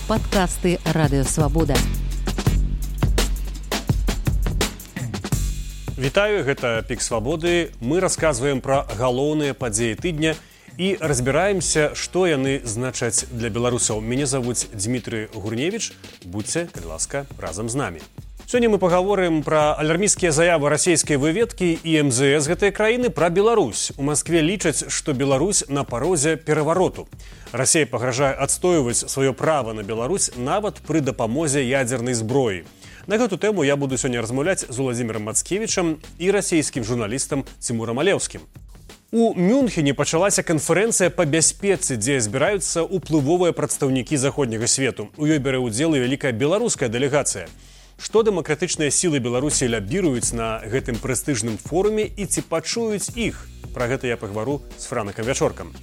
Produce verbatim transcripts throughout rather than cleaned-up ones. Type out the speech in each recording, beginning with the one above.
Падкасты Радыёвабода. Вітаю, гэта Пік Свабоды. Мы расказваем пра галоўныя падзеі тыдня і разбіраемся, што яны значаць для беларусаў. Мяне завуць Дмітрый Гурневіч. Будзьце, калі ласка, разам з намі. Сёння мы пагаворым пра алярмійскія заявы расійскай выведкі і эм зэ эс гэтай краіны пра Беларусь. У Маскве лічаць, што Беларусь на парозе перавароту. Расія пагражае адстойваць сваё права на Беларусь нават пры дапамозе ядзернай зброі. На гэту тэму я буду сёння размаўляць з Уладзімірам Мацкевічам і расійскім журналістам Цімурам Алеўскім. У Мюнхене пачалася канферэнцыя па бяспецы, дзе збіраюцца ўплывовыя прадстаўнікі заходняга свету. У ёй бярэ ўдзел і вялікая беларуская дэлегацыя. Што дэмакратычныя сілы Беларусі лябіруюць на гэтым прэстыжным форуме і ці пачуюць іх? Пра гэта я пагавару з Франакам Вячоркам.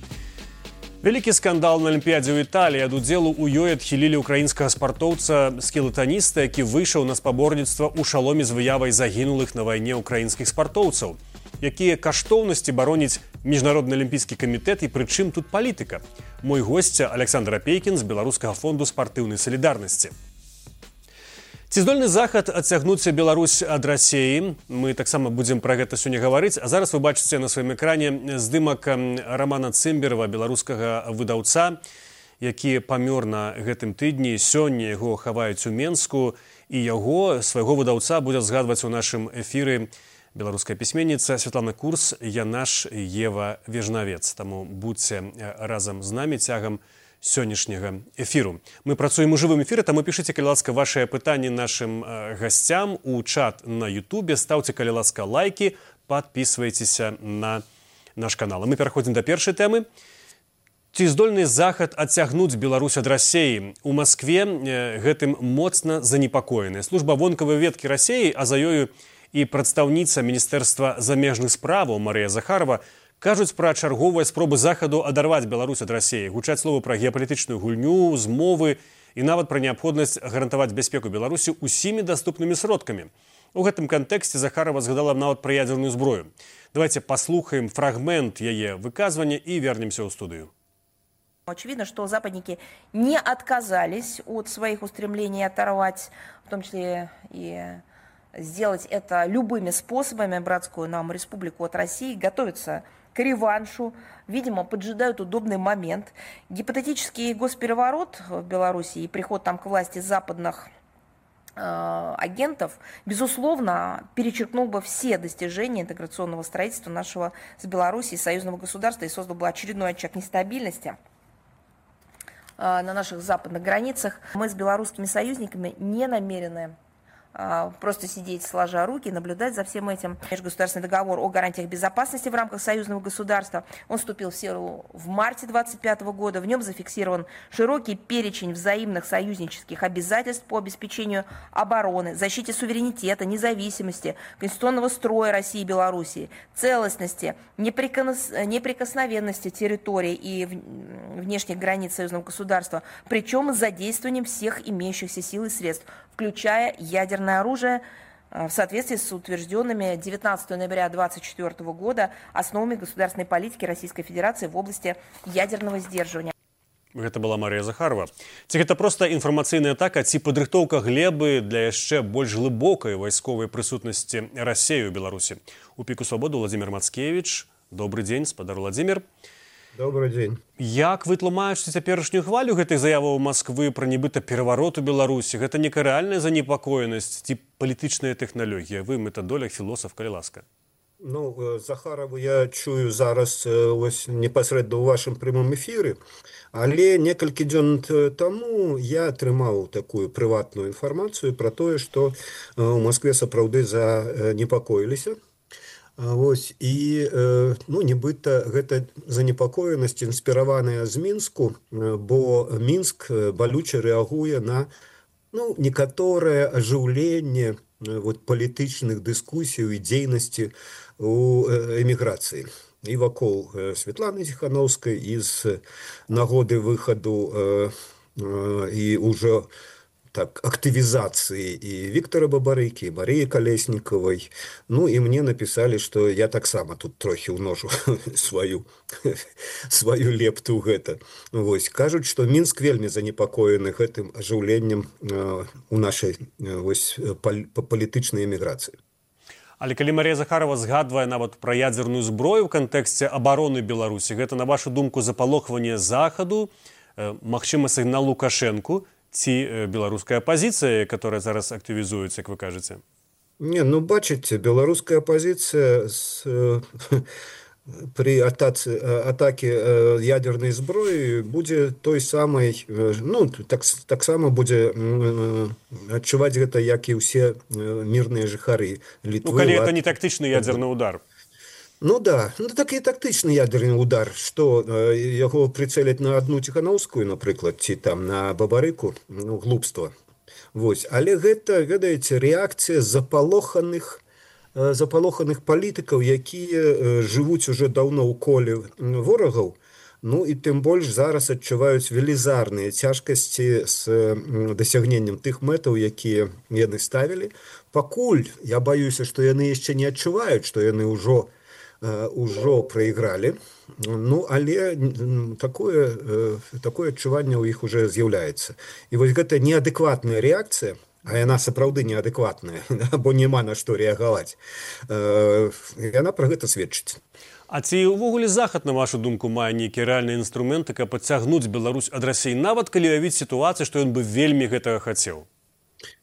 Вялікі скандал на Алімпіядзе ў Італіі. Ад удзелу ў ёй адхілілі ўкраінскага спартоўца скелетаніста, які выйшаў на спаборніцтва ў шаломе з выявай загінулых на вайне ўкраінскіх спартоўцаў. Якія каштоўнасці бароніць міжнародны алімпійскі камітэт і прычым тут палітыка? Мой госця Александр Апейкін з Беларускага фонду спартыўнай салідарнасці. Ці здольны захад адцягнуць Беларусь ад Расіі? Мы таксама будзем пра гэта сёння гаварыць. А зараз вы бачыце на сваім экране здымак Рамана Цымберава, беларускага выдаўца, які памёр на гэтым тыдні. Сёння яго хаваюць у Менску, і яго, свайго выдаўца, будзе згадваць у нашым эфіры беларуская пісьменніца Святлана Курс, яна ж Ева Вежнавец. Таму будзьце разам з намі цягам сённяшняга эфіру. Мы працуем у жывым эфіры, таму пішыце, калі ласка, вашыя пытанні нашым э, гасцям у чат на Ютубе, стаўце, калі ласка, лайкі, падпісвайцеся на наш канал. Мы пераходзім да першай тэмы. Ці здольны захад адцягнуць Беларусь ад Расіі? У Маскве э, гэтым моцна занепакоены. Служба вонкавай ведкі Расіі, а за ёю і прадстаўніца Міністэрства замежных справаў Марыя Захарова кажуць пра чарговыя спробы захаду адарваць Беларусь ад Расіі, гучаць словы пра геапалітычную гульню, змовы і нават пра неабходнасць гарантаваць бяспеку Беларусі усімі даступнымі сродкамі. У гэтым кантэксце Захарова згадала нават пра ядзерную зброю. Давайте послухаем фрагмент яе выказвання і вернемся ў студыю. Очевидно, что западники не отказались от своих устремлений оторвать, в том числе и сделать это любыми способами, братскую нам республику от России, готовятся к реваншу, видимо, поджидают удобный момент. Гипотетический госпереворот в Беларуси и приход там к власти западных э, агентов, безусловно, перечеркнул бы все достижения интеграционного строительства нашего с Белоруссией союзного государства и создал бы очередной очаг нестабильности э, на наших западных границах. Мы с белорусскими союзниками не намерены просто сидеть сложа руки и наблюдать за всем этим. Межгосударственный договор о гарантиях безопасности в рамках союзного государства, он вступил в силу в марте две тысячи двадцать пятого года. В нем зафиксирован широкий перечень взаимных союзнических обязательств по обеспечению обороны, защите суверенитета, независимости, конституционного строя России и Белоруссии, целостности, неприкос... неприкосновенности территорий и внешних границ союзного государства, причем с задействованием всех имеющихся сил и средств, включая ядерное оружие, в соответствии с утвержденными девятнадцатого ноября две тысячи двадцать четвёртого года основами государственной политики Российской Федерации в области ядерного сдерживания. Гэта была Марія Захарова. Ці гэта проста інфармацыйная атака, ці падрыхтоўка глебы для яшчэ больш глыбокай вайсковай прысутнасці Расіі ў Беларусі? У Піку Свабоды Уладзімір Мацкевіч. Добры дзень, спадар Уладзімір. Добрый дзень. Як вы тлумачыце цяперашнюю хвалю гэтых заяваў Масквы пра нібыта пераварот у Беларусі? Гэта некая рэальная занепакоенасць ці палітычная тэхналогія? Вы метадолог, філосаф, калі ласка. Ну, Захарову я чую зараз ось непасрэдна ў вашым прямым эфіры, але некалькі дзён таму я атрымаў такую прыватную інфармацыю пра тое, што ў Маскве сапраўды занепакоіліся. Вось, і ну, нібыта гэта занепакоенасць інспіраваная з Мінску, бо Мінск балюча рэагуе на ну, некаторае ажыўленне вот, палітычных дыскусій і дзейнасці у эміграцыі. І вакол Светланы Ціхановскай, і з нагоды выхаду і ўжо так, активизации и Виктора Бабарыки, и Марии Колесниковой. Ну, и мне написали, что я так само тут трохи умножу свою, свою лепту в это. Вот. Кажут, что Минск вельми занепокоены этим оживлением э, у нашей э, вось, пол, политичной эмиграции. Але калі Марія Захарова згадвае нават пра ядзерную зброю ў кантэксце абароны Беларусі, гэта, на вашу думку, запалохванне Захаду, э, магчыма, сігнал Лукашэнку ці э, беларуская апозіцыя, которая зараз актывізуецца, як вы кажаце? Не, ну, бачыце, беларуская апозіцыя с, э, при атаце, атаке э, ядерной зброі будзе той самай, э, ну, так, таксама будзе э, адчуваць гэта, як і ўсе э, мірныя жыхары Літвы. Ну, калі гэта не тактычны ядерны удар. Ну да, ну такі тактычны ядерны удар, што э, яго прыцэляць на адну Ціханаўскую, напрыклад, ці там на Бабарыку, ну, глупства. Вось. Але гэта, ведаеце, рэакцыя запалоханых запалоханых палітыкаў, якія жывуць уже даўно ў коле ворагаў, ну і тым больш зараз адчуваюць велізарныя цяжкасці з дасягненнем тых мэтаў, якія яны ставілі. Пакуль я баюся, што яны яшчэ не адчуваюць, што яны ўжо ўжо прайгралі, ну, але такое, такое адчуванне ў іх уже з'яўляецца. І вось гэта неадэкватная рэакцыя, а яна сапраўды неадэкватная, бо няма на што рэагаваць, яна пра гэта сведчыць. А ці ўвогуле Захад, на вашу думку, мае нейкія рэальныя інструменты, каб адцягнуць Беларусь ад Расіі, нават калі уявіць сітуацыю, што ён бы вельмі гэтага хацеў?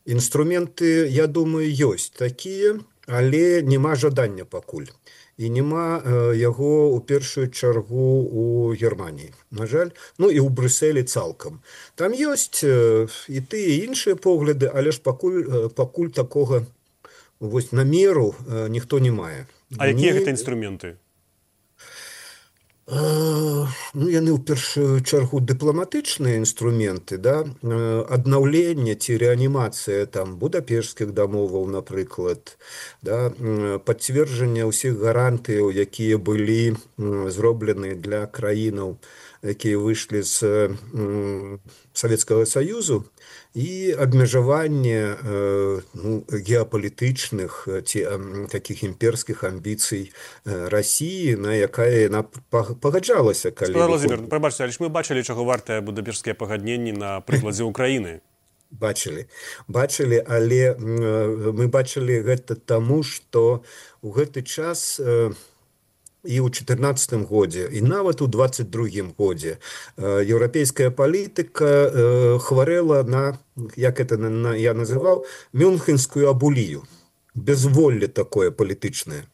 Інструменты, я думаю, ёсць такія, але няма жадання пакуль. І няма э, яго ў першую чаргу у Германіі, на жаль, ну і ў Брюсселі цалкам. Там ёсць э, і тыя іншыя погляды, але ж пакуль, э, пакуль такога вось, намеру э, ніхто не мае. А якія гэта інструменты? Uh, ну, яны ў першую чаргу дыпламатычныя інструменты, да? uh, аднаўленне ці рэанімацыя там будапешскіх дамоваў, напрыклад, да? uh, пацверджанне ўсіх гарантыяў, якія былі uh, зроблены для краінаў, якія выйшлі з uh, Савецкага Саюзу, і абмежаванне э, ну, геапалітычных ці э, такіх імперскіх амбіцый э, Расіі, на якая яна пагаджалася. Калі Владимир, прабачце, але ж мы бачылі, чаго вартыя будапешскія пагадненні на прыкладзе Украіны. Бачылі, бачылі, але э, мы бачылі гэта таму, што ў гэты час э, і ў чатырнаццатым годзе, і нават у дваццаць другім годзе еўрапейская палітыка хварэла на, як это я называў, мюнхенскую абулію, безволле такое палітычнае.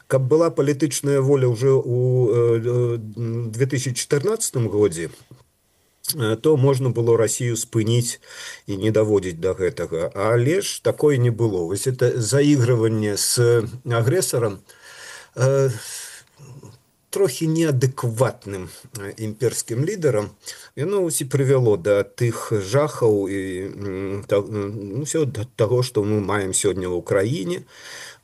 Каб была палітычная воля ўжо ў две тысячи чатырнаццатым годзе, то можна было Расію спыніць і не даводзіць да гэтага. Але ж такое не было. Вось это заігрыванне з агрэсарам трохі неадэкватным імперскім лідарам, яно ўсі прывяло да тых жахаў і ну, ўсё да таго, што мы маем сёння ў Украіне,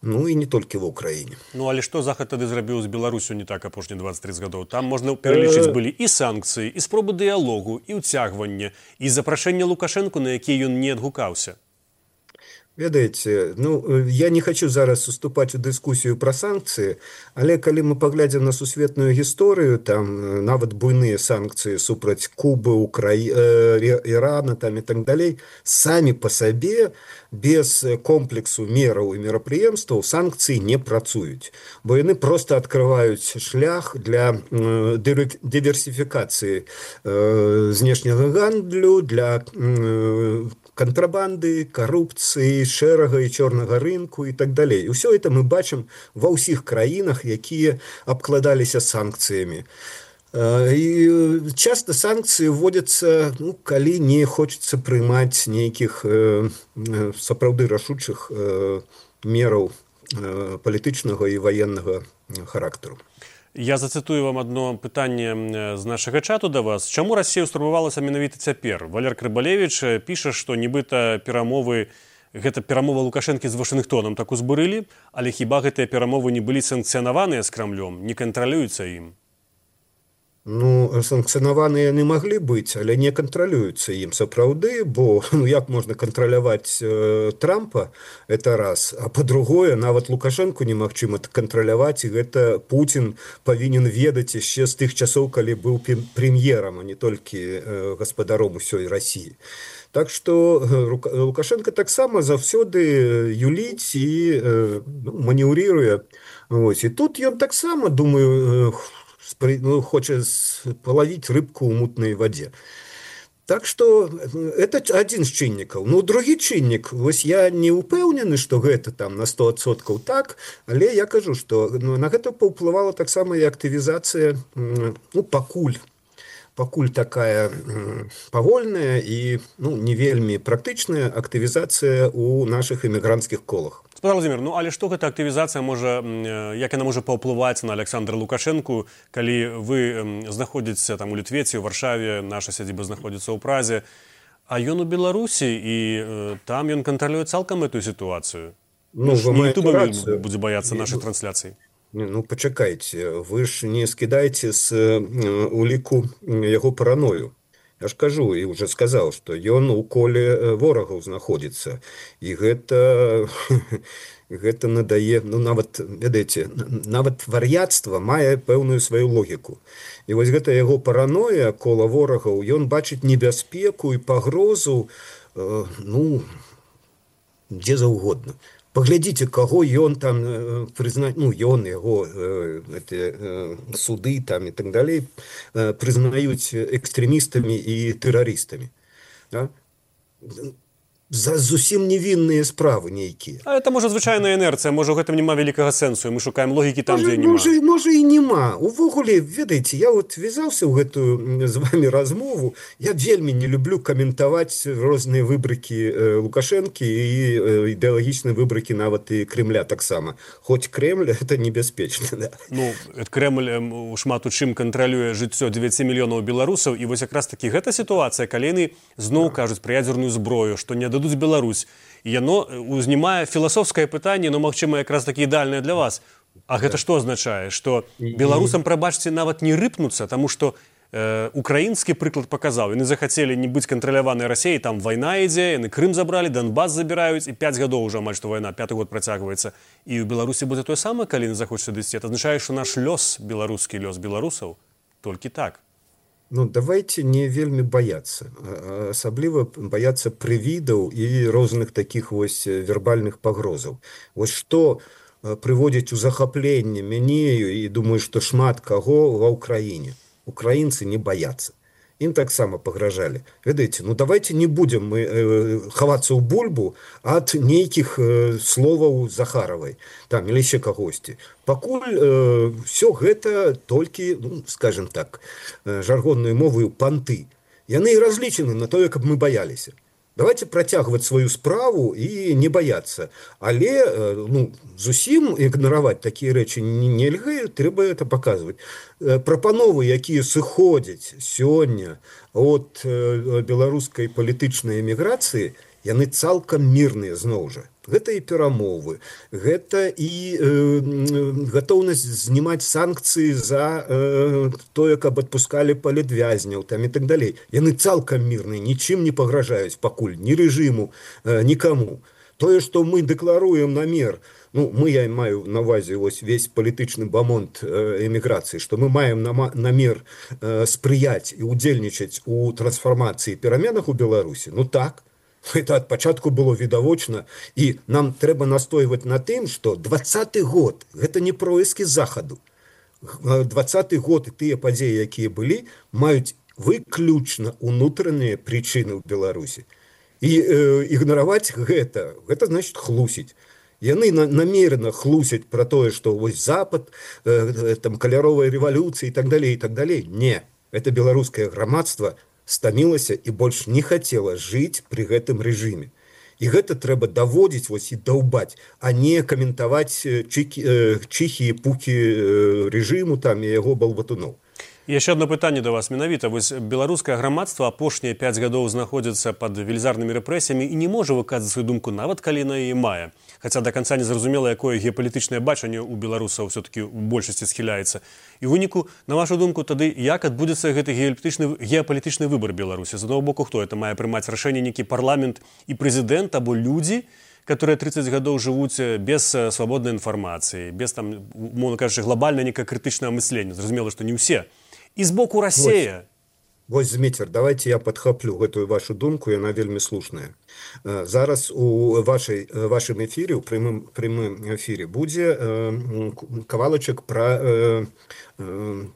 ну і не толькі в Украіне. Ну, але што Захад тады зрабіў з Беларусю не так апошнія дваццаць трыццаць гадоў? Там можна пералічыць былі і санкцыі, і спробы дыялогу, і ўцягвання, і запрашэнне Лукашэнку, на якія ён не адгукаўся. Ведаеце, ну, я не хочу зараз уступаць у дыскусію пра санкцыі, але калі мы паглядзім на сусветную гісторыю, там нават буйныя санкцыі супраць Кубы, Украі... Ірана там і так далей, самі па сабе без комплексу мераў і мерапрыемстваў санкцыі не працуюць, бо яны проста адкрываюць шлях для дыверсіфікацыі знешняга гандлю, для контрабанды, карупцыі, шэрага і чорнага рынку і так далей. І ўсё это мы бачым ва ўсіх краінах, якія абкладаліся санкцыямі. І часта санкцыі вводзяцца, ну, калі не хочацца прымаць нейкіх э, сапраўды рашучых э, мераў э, палітычнага і ваеннага характару. Я зацытую вам одно пытанне з нашага чату да вас. Чаму Расія ўстурбавалася менавіта цяпер? Валер Крыбалевіч піша, што нібыта перамовы, гэта перамова Лукашэнкі з Вашынгтонам так узбурылі, але хіба гэтыя перамовы не былі санкцыянаваныя з Крамлём, не кантралююцца ім? Ну, санкцыянаваныя яны маглі быць, але не кантралююцца ім сапраўды, бо ну, як можна кантраляваць э, Трампа, это раз, а па-другое, нават Лукашэнку немагчыма кантраляваць, і гэта Пуцін павінен ведаць яшчэ з тых часоў, калі быў прэм'ерам, а не толькі э, гаспадаром усёй Расіі. Так што э, Лукашенко таксама заўсёды юліць і э, ну, манеўрыруе. Ось. І тут ён таксама, думаю, э, ну, хоча палавіць рыбку ў мутнай вадзе. Так што это адзін з чыннікаў. Ну, другі чыннік, вось я не ўпэўнены, што гэта там на сто адсоткаў так, але я кажу, што ну, на гэта паўплывала таксама і актывізацыя, ну, пакуль. Пакуль такая павольная і ну, не вельмі практычная актывізацыя ў нашых эмігранцкіх колах. Спадар Владимир, ну але што гэта актывізацыя можа, як яна можа паўплываць на Александра Лукашэнку, калі вы знаходзіцеся там у Літве ці ў Варшаве, наша сядзіба знаходзіцца ў Празе, а ён у Беларусі і э, там ён кантралюе цалкам эту сітуацыю. Ну, не ютубам будзе баяцца нашых трансляцый. Ну, пачакайце, вы ж не скідаеце з уліку яго параною. Я ж кажу, і уже сказаў, што ён у коле ворагаў знаходзіцца. І гэта, гэта надае, ну, нават, ведаеце, нават вар'яцтва мае пэўную сваю логіку. І вось гэта яго параноя кола ворагаў, ён бачыць небяспеку і пагрозу, э, ну, дзе заўгодна. Паглядзіце, каго ён там э, прызнаць, ну, ён, яго э, эти, э, суды там і так далей э, прызнаюць экстрэмістамі і тэрарыстамі. Да? За зусім невінныя справы нейкія. А это, можа, звычайная інерцыя, можа, у гэтым няма вялікага сэнсу, і мы шукаем логікі там, можа, дзе няма. Можа, можа і няма. Увогуле, ведаеце, я от вязаўся ў гэтую з вами размову, я вельмі не люблю каментаваць розныя выбрыкі э, Лукашэнкі і э, ідэалагічныя выбрыкі нават і Кремля таксама. Хоць Кремль, это небяспечна. Да. Ну, Кремль э, шмат у чым кантралюе жыццё дзевяці мільёнаў беларусаў, і вось якраз такі гэта сітуацыя, калі яны зноў кажуць пра ядзерную зброю, што не дадуць Беларусь. І яно узнімае філасофскае пытанне, но, магчыма, якраз такі ідеальнае для вас. А гэта што азначае? Што беларусам, прабачце, нават не рыпнуцца, таму што э, украінскі прыклад паказаў. Яны захацелі не быць кантраляванай Расіяй, там вайна ідзе, яны Крым забралі, Донбас забіраюць, і пяць гадоў ўжо амаль што вайна, пяты год працягваецца. І ў Беларусі будзе тое самае, калі яны захочуць сюды ісці. Это азначае, што наш лёс, беларускі лёс беларусаў, толькі так. Ну, давайте не вельмі баяцца. Асабліва баяцца прывідаў і розных такіх вось вербальных пагрозаў. Вось што прыводзіць у захапленне мяне і думаю, што шмат каго ва ўкраіне. Украінцы не баяцца. Ім таксама пагражалі. Ведаеце, ну давайте не будем мы э, хавацца ў бульбу ад нейкіх э, словаў Захаравай, там, или ще кагосьці. Пакуль э, все гэта толькі, ну, скажем так, э, жаргонною мовою панты. Яны і разлічаны на тое, каб мы баяліся. Давайте працягваць сваю справу і не баяцца. Але ну, зусім ігнараваць такія рэчы нельга, трэба это паказваць. Прапановы, якія сыходзяць сёння от беларускай палітычнай эміграцыі, яны цалкам мірныя зноў жа. Гэта і перамовы, гэта і э, гатоўнасць знімаць санкцыі за э, тое, каб адпускалі палітвязняў там і так далей. Яны цалкам мірныя, нічым не пагражаюць пакуль, ні рэжыму, э, нікаму. Тое, што мы дэкларуем намер, ну, мы, я маю на ўвазе вось весь палітычны бамонт э, эміграцыі, што мы маем намер э, спрыяць і удзельнічаць у трансфармацыі і пераменах у Беларусі, ну так, это ад пачатку было відавочна, і нам трэба настойваць на тым, што дваццаты год, гэта не проіскі захаду. дваццаты год і тыя падзеі, якія былі, маюць выключна унутраныя прычыны ў Беларусі. І э, ігнараваць гэта, гэта значыць хлусіць. Яны на, намерена хлусяць пра тое, што вось Запад, э, там каляровая рэвалюцыя і так далей, і так далей. Не, это беларускае грамадства стамілася і больш не хацела жыць пры гэтым рэжыме. І гэта трэба даводзіць вось і даўбаць, а не каментаваць чыхі і пукі рэжыму там і яго балбатуноў. Яшчэ одно пытанне да вас менавіта. Вось беларускае грамадства апошнія пяць гадоў знаходзіцца пад велізарнымі рэпрэсіямі і не можа выказаць сваю думку, нават калі на яе мае. Хаця да канца не зразумела, якое геапалітычнае бачанне ў беларусаў все-таки ў большасці схіляецца. І ў выніку, на вашу думку, тады як адбудзецца гэты геапалітычны, геапалітычны выбар Беларусі? З аднаго боку, хто это мае прымаць рашэнне, нейкі парламент і прэзідэнт або людзі, которые тридцать гадоў жывуць без свабоднай інфармацыі, без там, умоўна кажучы, глобальна некае крытычнае мысленне. Зразумела, што не ўсе. І з боку Расія. Вось, Зміцер, давайте я падхаплю гэтую вашу думку, яна вельмі слушная. Зараз у вашай, вашым эфіры, у прямым, прямым эфіры будзе кавалачак пра э, э,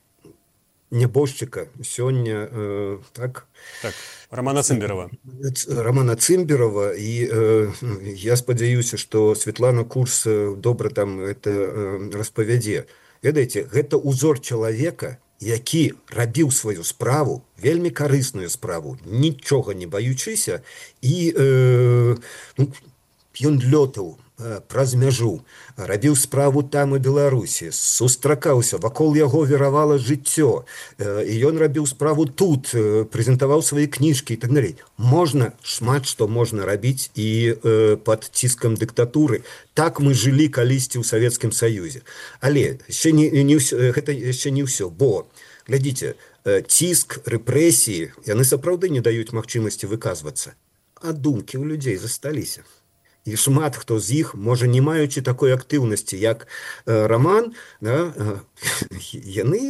нябожчыка сёння, э, так? Так, Романа Цымберава. Романа Цымберава, і э, я спадзяюся, што Светлана Курс добра там это э, распавядзе. Ведаеце, гэта ўзор чалавека, які рабіў сваю справу, вельмі карысную справу, нічога не баючыся, і э, ну, ён лётаў э, праз мяжу, рабіў справу там у Беларусі, сустракаўся, вакол яго віравала жыццё, э, і ён рабіў справу тут, э, прэзентаваў свае кніжкі і так далей. Можна, шмат што можна рабіць і э, пад ціскам дыктатуры. Так мы жылі калісьці ў Савецкім Саюзе. Але яшчэ не, не ўсё, гэта яшчэ не ўсё, бо, глядзіце, э, ціск, рэпрэсіі, яны сапраўды не даюць магчымасці выказвацца. А думкі ў людзей засталіся. І шмат хто з іх, можа, не маючы такой актыўнасці, як э, Роман, да, э, яны,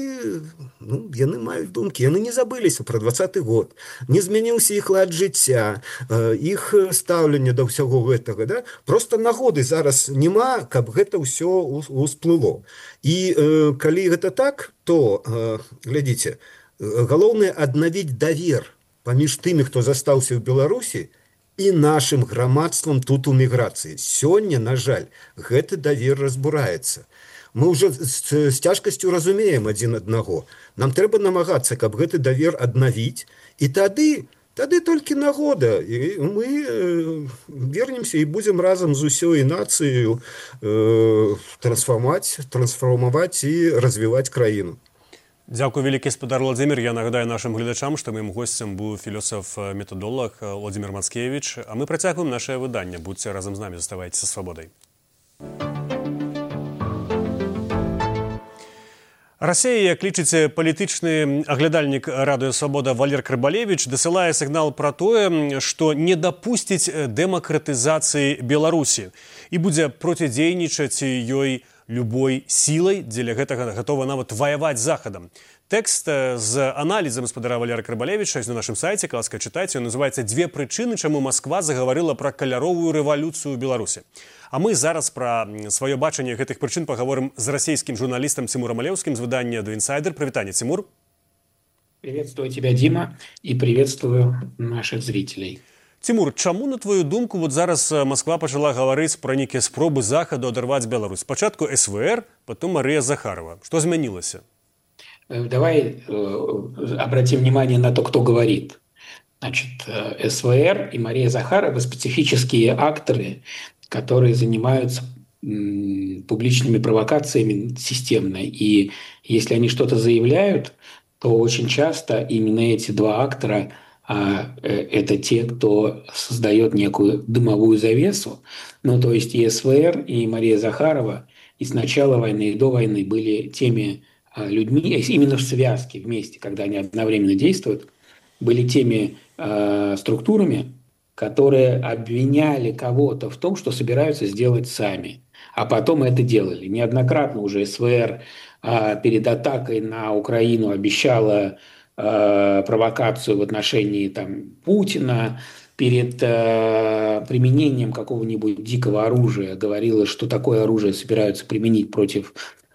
ну, яны маюць думкі, яны не забыліся пра дваццаты год, не змяніўся іх лад жыцця, э, іх стаўленне да ўсяго гэтага, да? Просто нагоды зараз няма, каб гэта ўсё усплыло. І э, калі гэта так, то, э, глядзіце, галоўнае аднавіць давер паміж тымі, хто застаўся ў Беларусі, і нашым грамадствам тут у міграцыі. Сёння, на жаль, гэты давер разбураецца. Мы ўжо з, з цяжкасцю разумеем адзін аднаго. Нам трэба намагацца, каб гэты давер аднавіць, і тады, тады толькі нагода. І мы э, вернемся і будзем разам з усёй нацыяй э, трансфармаваць, трансфармаваць і развіваць краіну. Дзякую вялікі, спадар Владзімір. Я нагадаю нашым гледачам, што маім госцем быў філосаф-метадолог Владзімір Мацкевіч. А мы працягваем нашае выданне. Будзьце разам з намі, заставайцеся свабодай. Расія, як лічыць палітычны аглядальнік Радыё Свабода Валер Крыбалевіч, дасылае сігнал пра тое, што не дапусціць дэмакратызацыі Беларусі і будзе процідзейнічаць ёй любой сілай, дзеля гэтага гатова нават ваяваць з Захадам. Тэкст з аналізам спадара Валера Крыбалевіча на нашым сайце, ласка, чытайце, ён называецца «Две прычыны, чаму Масква загаварыла пра каляровую рэвалюцыю ў Беларусі». А мы зараз пра сваё бачанне гэтых прычын пагаворым з расійскім журналістам Цимуром Алеўскім з выдання «The Insider». Прывітанне, Цимур. Приветствую тебя, Дима, и приветствую наших зрителей. Цимур, чаму, на твою думку, вот зараз Москва пачала гаварыць пра нейкія спробы Захаду адарваць Беларусь? Спачатку эс вэ эр, потом Мария Захарова. Что изменилось? Давай э, обратим внимание на то, кто говорит. Значит, эс вэ эр и Мария Захарова – специфические акторы, которые занимаются м, публичными провокациями системно. И если они что-то заявляют, то очень часто именно эти два актора – а это те, кто создает некую дымовую завесу. Ну, то есть и эс вэ эр, и Мария Захарова и с начала войны, и до войны были теми людьми, именно в связке вместе, когда они одновременно действуют, были теми э, структурами, которые обвиняли кого-то в том, что собираются сделать сами. А потом это делали. Неоднократно уже эс вэ эр э, перед атакой на Украину обещала провокацию в отношении там, Путина, перед э, применением какого-нибудь дикого оружия говорила, что такое оружие собираются применить против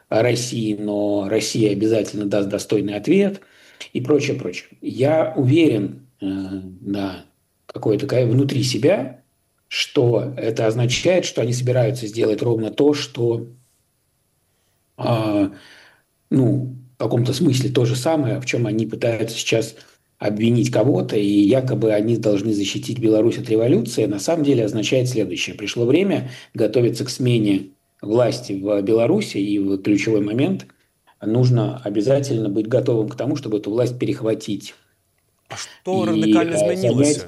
России, но Россия обязательно даст достойный ответ и прочее, прочее. Я уверен э, да, какое-то внутри себя, что это означает, что они собираются сделать ровно то, что э, ну, в каком-то смысле то же самое, в чем они пытаются сейчас обвинить кого-то, и якобы они должны защитить Беларусь от революции, на самом деле означает следующее. Пришло время готовиться к смене власти в Беларуси, и в ключевой момент нужно обязательно быть готовым к тому, чтобы эту власть перехватить. А што І, радыкальна э, змянілася?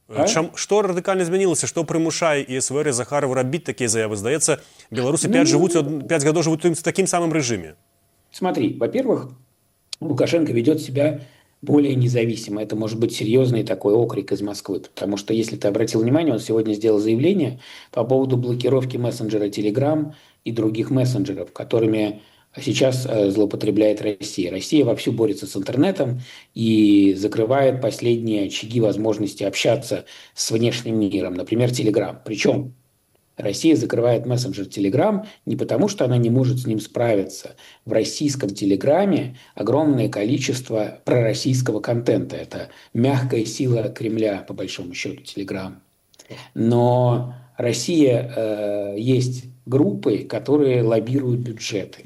А? Чам, што радыкальна змянілася, што прымушае і СВР і Захарова рабіць такія заявы? Здаецца, беларусы пяць Ну, жывуць пяць гадоў жывуць в такім самым рэжыме. Смотри, во-первых, Лукашенко ведет себя более независимо. Это может быть серьезный такой окрик из Москвы. Потому что, если ты обратил внимание, он сегодня сделал заявление по поводу блокировки мессенджера Telegram и других мессенджеров, которыми сейчас злоупотребляет Россия. Россия вовсю борется с интернетом и закрывает последние очаги возможности общаться с внешним миром, например, Telegram. Причем Россия закрывает мессенджер Telegram не потому, что она не может с ним справиться. В российском Телеграме огромное количество пророссийского контента. Это мягкая сила Кремля, по большому счету, Telegram. Но Россия э, есть группы, которые лоббируют бюджеты.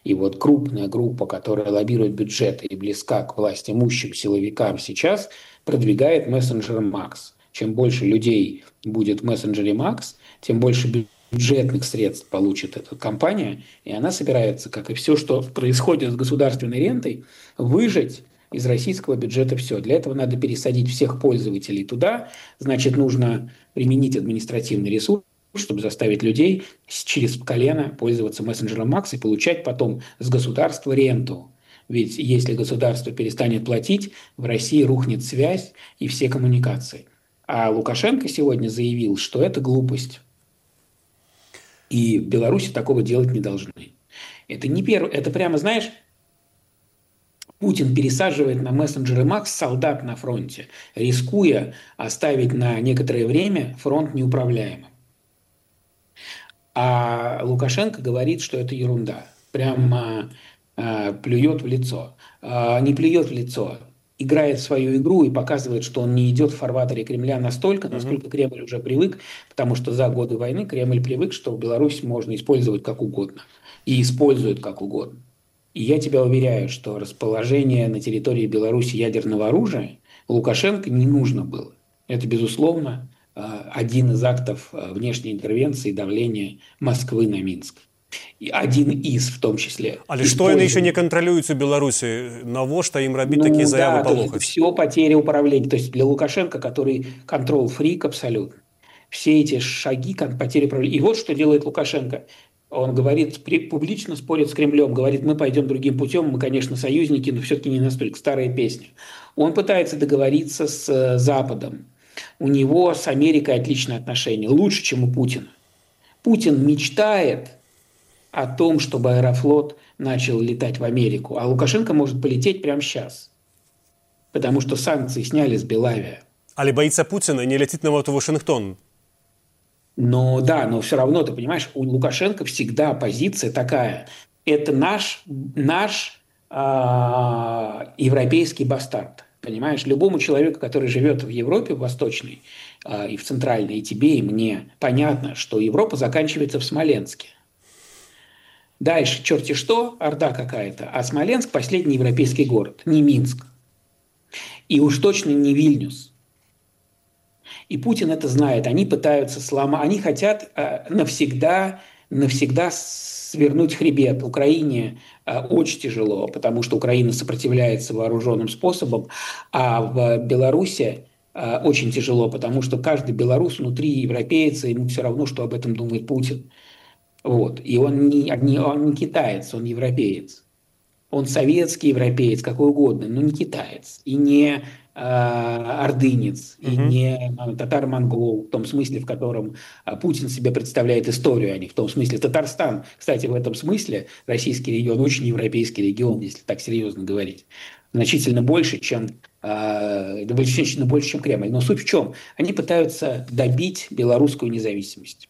И вот крупная группа, которая лоббирует бюджеты и близка к властимущим силовикам сейчас, продвигает мессенджер Макс. Чем больше людей будет в мессенджере Макс, тем больше бюджетных средств получит эта компания, и она собирается, как и все, что происходит с государственной рентой, выжать из российского бюджета все. Для этого надо пересадить всех пользователей туда, значит, нужно применить административный ресурс, чтобы заставить людей через колено пользоваться мессенджером Макс и получать потом с государства ренту. Ведь если государство перестанет платить, в России рухнет связь и все коммуникации. А Лукашенко сегодня заявил, что это глупость. И в Беларуси такого делать не должны. Это не первое, это прямо, знаешь, Путин пересаживает на мессенджеры Макс солдат на фронте, рискуя оставить на некоторое время фронт неуправляемым. А Лукашенко говорит, что это ерунда. Прямо э, плюет в лицо. Э, не плюет в лицо. Играет в свою игру и показывает, что он не идет в фарватере Кремля настолько, насколько Кремль уже привык, потому что за годы войны Кремль привык, что Беларусь можно использовать как угодно. И использует как угодно. И я тебя уверяю, что расположение на территории Беларуси ядерного оружия Лукашенко не нужно было. Это, безусловно, один из актов внешней интервенции и давления Москвы на Минск. И один из, в том числе. Але што яны еще не контролююць у Беларусі? Навошта им рабіць ну, такие заявы да, полохаць? Все потеря управления. То есть для Лукашенко, который контрол-фрик абсолютно, все эти шаги потери управления. И вот что делает Лукашенко. Он говорит, публично спорит с Кремлем, говорит, мы пойдем другим путем, мы, конечно, союзники, но все-таки не настолько. Старая песня. Он пытается договориться с Западом. У него с Америкой отличные отношения, лучше, чем у Путина. Путин мечтает о том, чтобы Аэрофлот начал летать в Америку, а Лукашенко может полететь прямо сейчас, потому что санкции сняли с Белавия. Але боится Путина и не летит на вот в Вашингтон. Но да, но все равно, ты понимаешь, у Лукашенко всегда позиция такая. Это наш, наш э, европейский бастард. Понимаешь, любому человеку, который живет в Европе, в Восточной э, и в Центральной, и тебе, и мне, понятно, что Европа заканчивается в Смоленске. Дальше черти что, орда какая-то, а Смоленск – последний европейский город, не Минск. И уж точно не Вильнюс. И Путин это знает. Они пытаются сломать, они хотят э, навсегда, навсегда свернуть хребет. Украине э, очень тяжело, потому что Украина сопротивляется вооруженным способом, а в Беларуси э, очень тяжело, потому что каждый белорус внутри европейца, ему все равно, что об этом думает Путин. Вот. И он не, не, он не китаец, он европеец. Он советский европеец, какой угодно, но не китаец. И не э, ордынец, и uh-huh. не э, татар-монгол, в том смысле, в котором э, Путин себе представляет историю, а не в том смысле. Татарстан, кстати, в этом смысле российский регион очень европейский регион, если так серьезно говорить. Значительно больше, чем, э, значительно больше, чем Кремль. Но суть в чем? Они пытаются добить белорусскую независимость.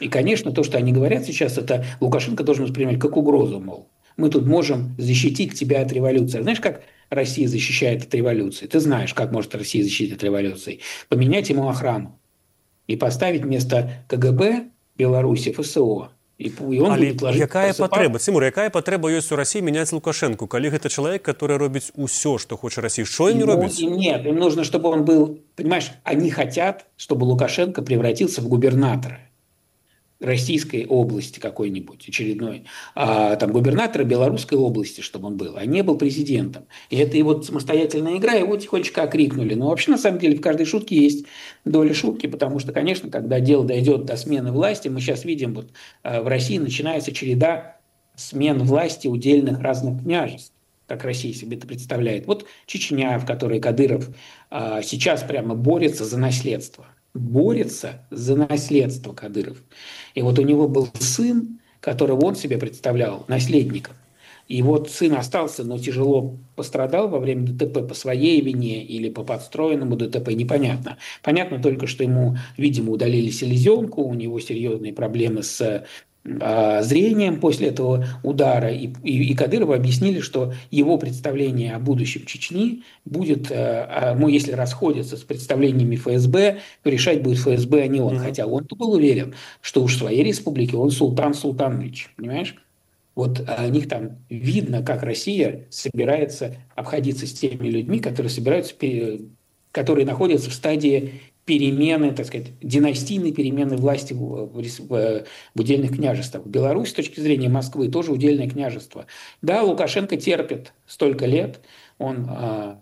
И, конечно, то, что они говорят сейчас, это Лукашенко должен воспринимать как угрозу, мол. Мы тут можем защитить тебя от революции. Знаешь, как Россия защищает от революции? Ты знаешь, как может Россия защитить от революции. Поменять ему охрану. И поставить вместо КГБ Беларуси ФСО. И, и он Але будет ложить... якая просыпать... патрэба? Цімур, якая патрэба ёсць у России менять Лукашенко, калі гэта чалавек, который робіць усё, что хочет Россия? Что им не робіць? Нет, им нужно, чтобы он был... Понимаешь, они хотят, чтобы Лукашенко превратился в губернатора. российской области какой-нибудь очередной, а там губернатора Белорусской области, чтобы он был, а не был президентом. И это его самостоятельная игра, его тихонечко окрикнули. Но вообще, на самом деле, в каждой шутке есть доля шутки, потому что, конечно, когда дело дойдет до смены власти, мы сейчас видим, вот в России начинается череда смен власти удельных разных княжеств, как Россия себе это представляет. Вот Чечня, в которой Кадыров а, сейчас прямо борется за наследство. Борется за наследство Кадыров. И вот у него был сын, которого он себе представлял наследником. И вот сын остался, но тяжело пострадал во время ДТП по своей вине или по подстроенному ДТП, непонятно. Понятно только, что ему, видимо, удалили селезенку, у него серьезные проблемы с э, зрением после этого удара. И, и, и Кадырову объяснили, что его представление о будущем Чечни будет, э, ну, если расходится с представлениями ФСБ, то решать будет ФСБ, а не он. Mm-hmm. Хотя он-то был уверен, что уж в своей республике он Султан Султанович, понимаешь? Вот о них там видно, как Россия собирается обходиться с теми людьми, которые собираются, которые находятся в стадии перемены, так сказать, династийной перемены власти в, в, в удельных княжествах. Беларусь, с точки зрения Москвы, тоже удельное княжество. Да, Лукашенко терпит столько лет, он а,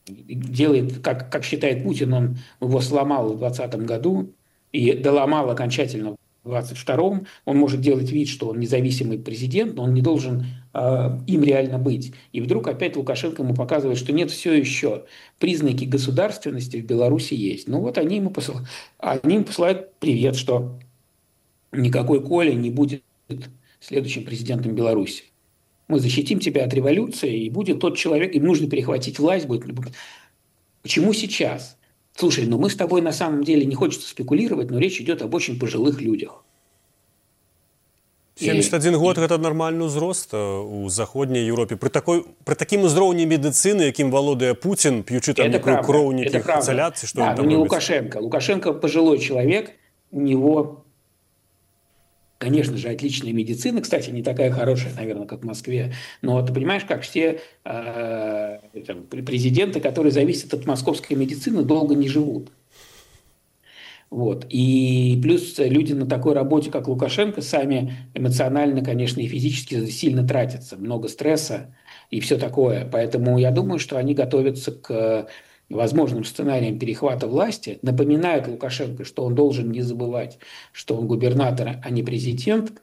делает, как, как считает Путин, он его сломал в двадцатом году и доломал окончательно в двадцать втором, он может делать вид, что он независимый президент, но он не должен э, им реально быть. И вдруг опять Лукашенко ему показывает, что нет, все еще признаки государственности в Беларуси есть. Ну вот они ему, посыл... они ему посылают привет, что никакой Коля не будет следующим президентом Беларуси. Мы защитим тебя от революции, и будет тот человек, им нужно перехватить власть. Будет... Почему сейчас? Слушай, ну мы с тобой на самом деле, не хочется спекулировать, но речь идет об очень пожилых людях. семьдесят один год – это нормальный ўзрост у заходняй Европе. При, такой, при таким узроўні медицины, яким валодае Путин, пьючи там некую кроў, неких изоляций, что да, он там но не робит? Лукашенко. Лукашенко пожилой человек, у него, конечно же, отличная медицина. Кстати, не такая хорошая, наверное, как в Москве. Но ты понимаешь, как все э, там, президенты, которые зависят от московской медицины, долго не живут. Вот. И плюс люди на такой работе, как Лукашенко, сами эмоционально, конечно, и физически сильно тратятся. Много стресса и все такое. Поэтому я думаю, что они готовятся к возможным сценариям перехвата власти, напоминают Лукашенко, что он должен не забывать, что он губернатор, а не президент.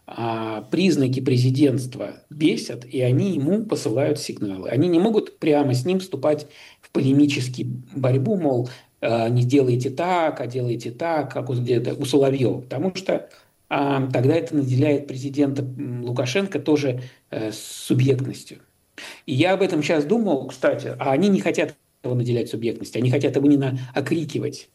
А признаки президентства бесят, и они ему посылают сигналы. Они не могут прямо с ним вступать в полемическую борьбу, мол, не делайте так, а делайте так, как у, у Соловьева. Потому что а, тогда это наделяет президента Лукашенко тоже а, субъектностью. И я об этом сейчас думал, кстати, а они не хотят его наделять субъектностью, они хотят его именно окрикивать,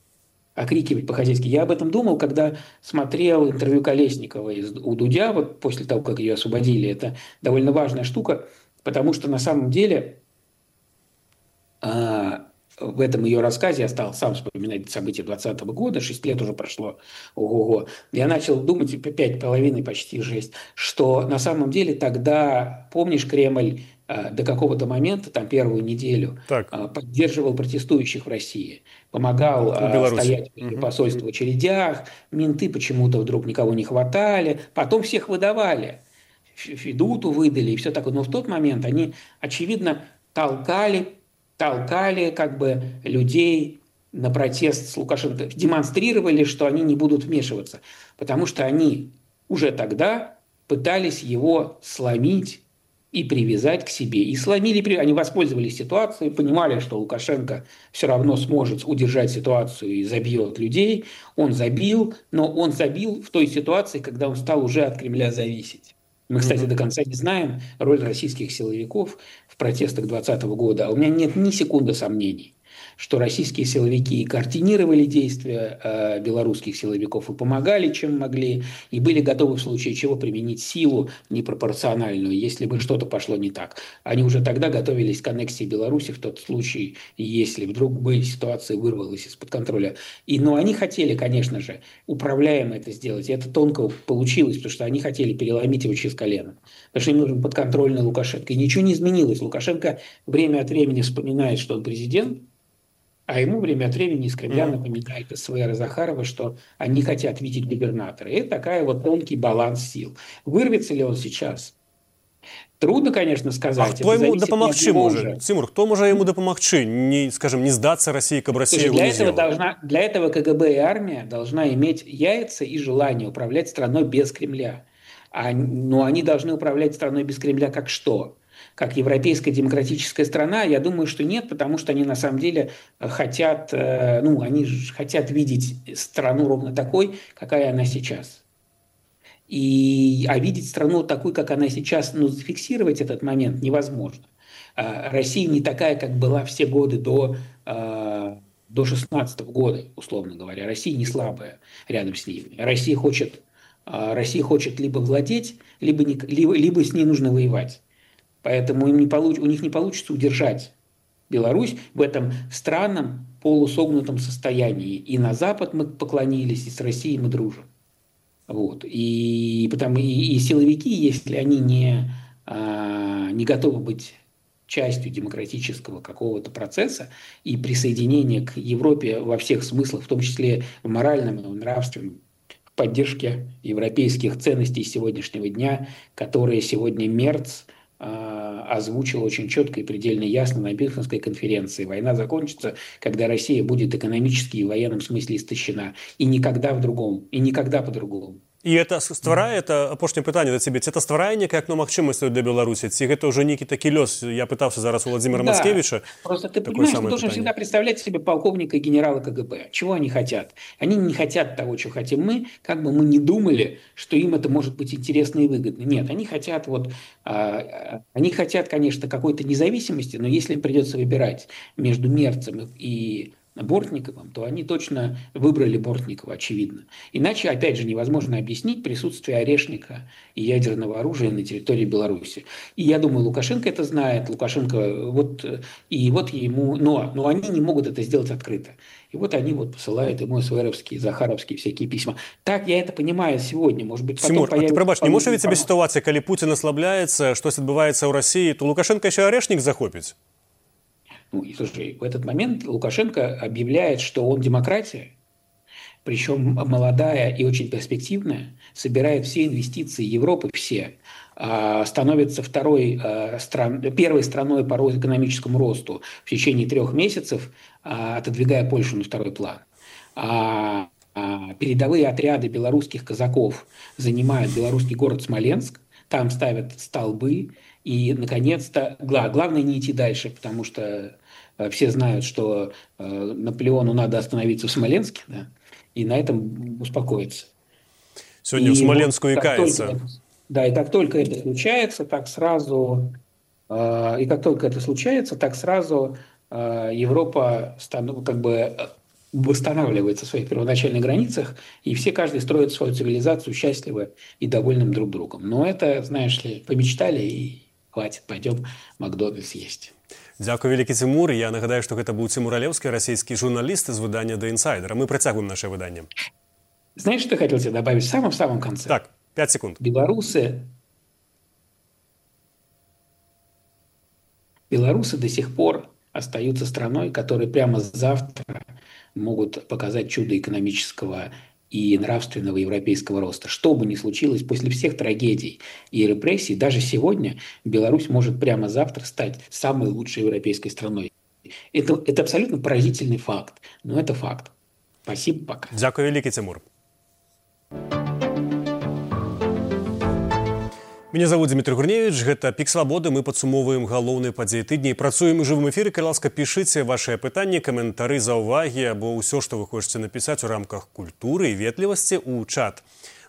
окрикивать по-хозяйски. Я об этом думал, когда смотрел интервью Колесниковой у Дудя, вот после того, как ее освободили. Это довольно важная штука, потому что на самом деле а, в этом ее рассказе, я стал сам вспоминать события двадцатого года, шесть лет уже прошло, ого-го, я начал думать, пять половиной почти шесть, что на самом деле тогда, помнишь, Кремль э, до какого-то момента, там первую неделю, э, поддерживал протестующих в России, помогал э, стоять в посольстве в очередях, менты почему-то вдруг никого не хватали, потом всех выдавали, Федуту выдали и все такое, но в тот момент они, очевидно, толкали толкали как бы людей на протест с Лукашенко, демонстрировали, что они не будут вмешиваться, потому что они уже тогда пытались его сломить и привязать к себе. И сломили, они воспользовались ситуацией, понимали, что Лукашенко все равно сможет удержать ситуацию и забьет людей. Он забил, но он забил в той ситуации, когда он стал уже от Кремля зависеть. Мы, кстати, до конца не знаем роль российских силовиков в протестах двадцатого года. А у меня нет ни секунды сомнений, что российские силовики координировали действия э, белорусских силовиков и помогали, чем могли, и были готовы в случае чего применить силу непропорциональную, если бы что-то пошло не так. Они уже тогда готовились к аннексии Беларуси в тот случай, если вдруг бы ситуация вырвалась из-под контроля. И, но они хотели, конечно же, управляемо это сделать, и это тонко получилось, потому что они хотели переломить его через колено. Потому что им нужен подконтрольный Лукашенко. И ничего не изменилось. Лукашенко время от времени вспоминает, что он президент, А ему время от времени из Кремля mm-hmm. напоминает СВР и Захарова, что они хотят видеть губернатора. И это такая вот тонкий баланс сил. Вырвется ли он сейчас? Трудно, конечно, сказать. А хто йому допомогчи може? Тимур, хто може йому допомогчи? Не, скажем, не сдаться России, как бы Россия его для не этого, должна, для этого КГБ и армия должна иметь яйца и желание управлять страной без Кремля. А, но они должны управлять страной без Кремля как что? Как европейская демократическая страна? Я думаю, что нет, потому что они на самом деле хотят, ну, они хотят видеть страну ровно такой, какая она сейчас. И, а видеть страну такой, как она сейчас, ну, зафиксировать этот момент невозможно. Россия не такая, как была все годы до, до шестнадцатого года, условно говоря. Россия не слабая рядом с ними. Россия хочет, Россия хочет либо владеть, либо, не, либо, либо с ней нужно воевать. Поэтому им не получ, у них не получится удержать Беларусь в этом странном полусогнутом состоянии. И на Запад мы поклонились, и с Россией мы дружим. Вот. И, потому, и, и силовики, если они не, а, не готовы быть частью демократического какого-то процесса и присоединения к Европе во всех смыслах, в том числе в моральном и в нравственном, в поддержке европейских ценностей сегодняшнего дня, которые сегодня Мерц а, озвучил очень четко и предельно ясно на Мюнхенской конференции. Война закончится, когда Россия будет экономически и в военном смысле истощена. И никогда в другом, и никогда по-другому. І это стварае, это апошняе пытанне да цябе, ці это стварае некае акно магчымасцяў для Беларусі, ці гэта ўжо нейкі такі лёс? Я пытаўся зараз у Владимира да, Мацкевича. Просто ты понимаешь, ты должен всегда представлять себе полковника и генерала КГБ. Чего они хотят? Они не хотят того, что хотим мы, как бы мы ни думали, что им это может быть интересно и выгодно. Нет, они хотят вот, а, они хотят, конечно, какой-то независимости, но если им придется выбирать между Мерцем и Бортниковым, то они точно выбрали Бортникова, очевидно. Иначе, опять же, невозможно объяснить присутствие орешника и ядерного оружия на территории Беларуси. И я думаю, Лукашенко это знает. Лукашенко, вот, и вот ему, но, но они не могут это сделать открыто. И вот они вот посылают ему СВРовские, Захаровские всякие письма. Так я это понимаю сегодня. Может быть, потом Тимур, а ты пробач, не можешь ведь себе ситуация, когда Путин ослабляется, что отбывается в России, то Лукашенко еще орешник захопит? Ну, и слушай, в этот момент Лукашенко объявляет, что он демократия, причем молодая и очень перспективная, собирает все инвестиции Европы, все, становится второй, стран, первой страной по экономическому росту в течение трех месяцев, отодвигая Польшу на второй план. А передовые отряды белорусских казаков занимают белорусский город Смоленск, там ставят столбы, и, наконец-то, главное не идти дальше, потому что все знают, что Наполеону надо остановиться в Смоленске, да, и на этом успокоиться. Сегодня и в Смоленскую вот, икается. Это, да, и как только это случается, так сразу, и как только это случается, так сразу Европа как бы восстанавливается в своих первоначальных границах, и все, каждый строит свою цивилизацию счастливо и довольным друг другом. Но это, знаешь ли, помечтали и хватит, пойдем Макдональдс есть. Дякую, вялікі Тимур. Я нагадаю, што гэта быў Тимур Алеўскі, расійскі журналіст з выдання The Insider. Мы працягваем наше выданне. Знаешь, что я хотел тебе добавить в самом-самом конце? Так, пять секунд. Белорусы... Белорусы до сих пор остаются страной, которые прямо завтра могут показать чудо экономического и нравственного европейского роста. Что бы ни случилось, после всех трагедий и репрессий, даже сегодня Беларусь может прямо завтра стать самой лучшей европейской страной. Это, это абсолютно поразительный факт, но это факт. Спасибо, пока. Дякую, великий Тимур. Меня зовут Дмитрий Гурневич, гэта Пік Свабоды, мы падсумоўваем галоўныя падзеі тыдня і працуем у жывым эфіры. Калі ласка, пішыце вашыя пытанні, каментары, заўвагі або ўсё, што вы хочаце напісаць у рамках культуры і ветлівасці ў чат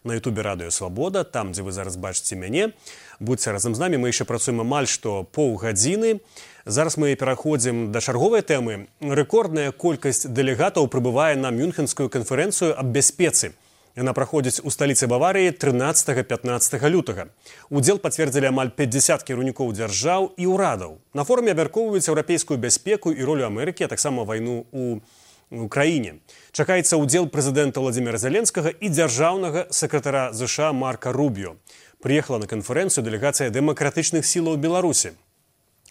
на ютубе Радыё Свабода, там, дзе вы зараз бачыце мяне. Будьце разам з намі, мы яшчэ працуем амаль што паўгадзіны. Зараз мы пераходзім да чарговай тэмы. Рэкордная колькасць дэлегатаў прыбывае на Мюнхенскую канферэнцыю аб бяспецы. Яна праходзіць у сталіцы Баварыі трынаццатага-пятнаццатага лютага. Удзел пацвердзілі амаль пятьдесят кіраўнікоў дзяржаў і ўрадаў. На форуме абмяркоўваюць еўрапейскую бяспеку і ролю Амерыкі, а таксама вайну ў Украіне. Чакаецца ўдзел прэзідэнта Владимира Зеленскага і дзяржаўнага сакратара ЗША Марка Рубіо. Прыехала на канферэнцыю дэлегацыя дэмакратычных сілаў Беларусі.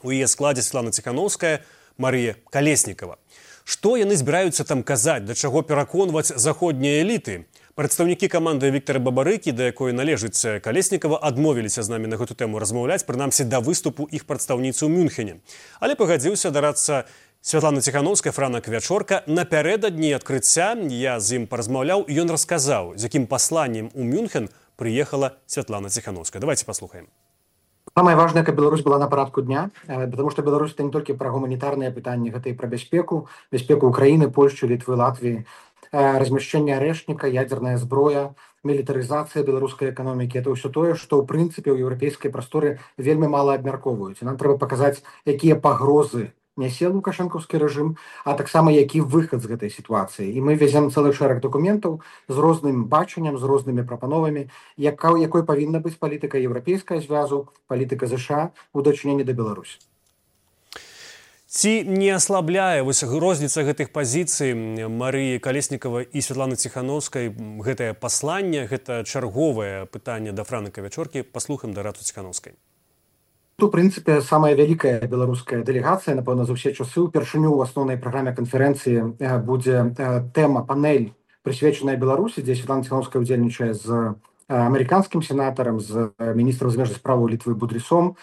У яе складзе Светлана Ціхановская, Марія Калеснікава. Што яны збіраюцца там казаць, да чаго пераконваць заходнія эліты? Прадстаўнікі каманды Віктара Бабарыкі, да якой належыць Калеснікава, адмовіліся з намі на гэту тэму размаўляць, прынамсі да выступу іх прадстаўніцы ў Мюнхене. Але пагадзіўся дарацца Святлана Ціхановская, Франак Вячорка. Напярэдадні адкрыцця я з ім паразмаўляў, і ён расказаў, з якім пасланнем у Мюнхен прыехала Святлана Ціхановская. Давайте паслухаем. Самое важное, каб Беларусь была на парадку дня, потому что Беларусь это не только про гуманитарные пытания, это и про бяспеку, бяспеку Украины, Польши, Литвы, Латвии, размещение арэшніка, ядерная зброя, мілітарызацыя беларускай эканомікі. Это ўсё тое, што ў прынцыпе ў еўрапейскай прасторы вельмі мала абмяркоўваюць. Нам трэба паказаць, якія пагрозы нясе лукашэнкаўскі рэжым, а таксама які выхад з гэтай сітуацыі. І мы везем цэлы шэраг дакументаў з розным бачаннем, з рознымі прапановамі, яка, якой павінна быць палітыка еўрапейская звязу, палітыка ЗША ў дачыненні да Беларусі. Ці не аслабляе вось розніца гэтых пазіцый Марыі Калеснікава і Святланы Ціхановскай гэтае пасланне, гэта чарговае пытанне да Франака Вячоркі. Паслухаем дарацу Ціхановскай. У прынцыпе, самая вялікая беларуская дэлегацыя, напэўна, за ўсе часы. Упершыню ў асноўнай праграме канферэнцыі будзе тэма, панель, прысвечаная Беларусі, дзе Святлана Ціхановская удзельнічае з американским сенатором, з міністром замежных справаў Літвы Будрісом.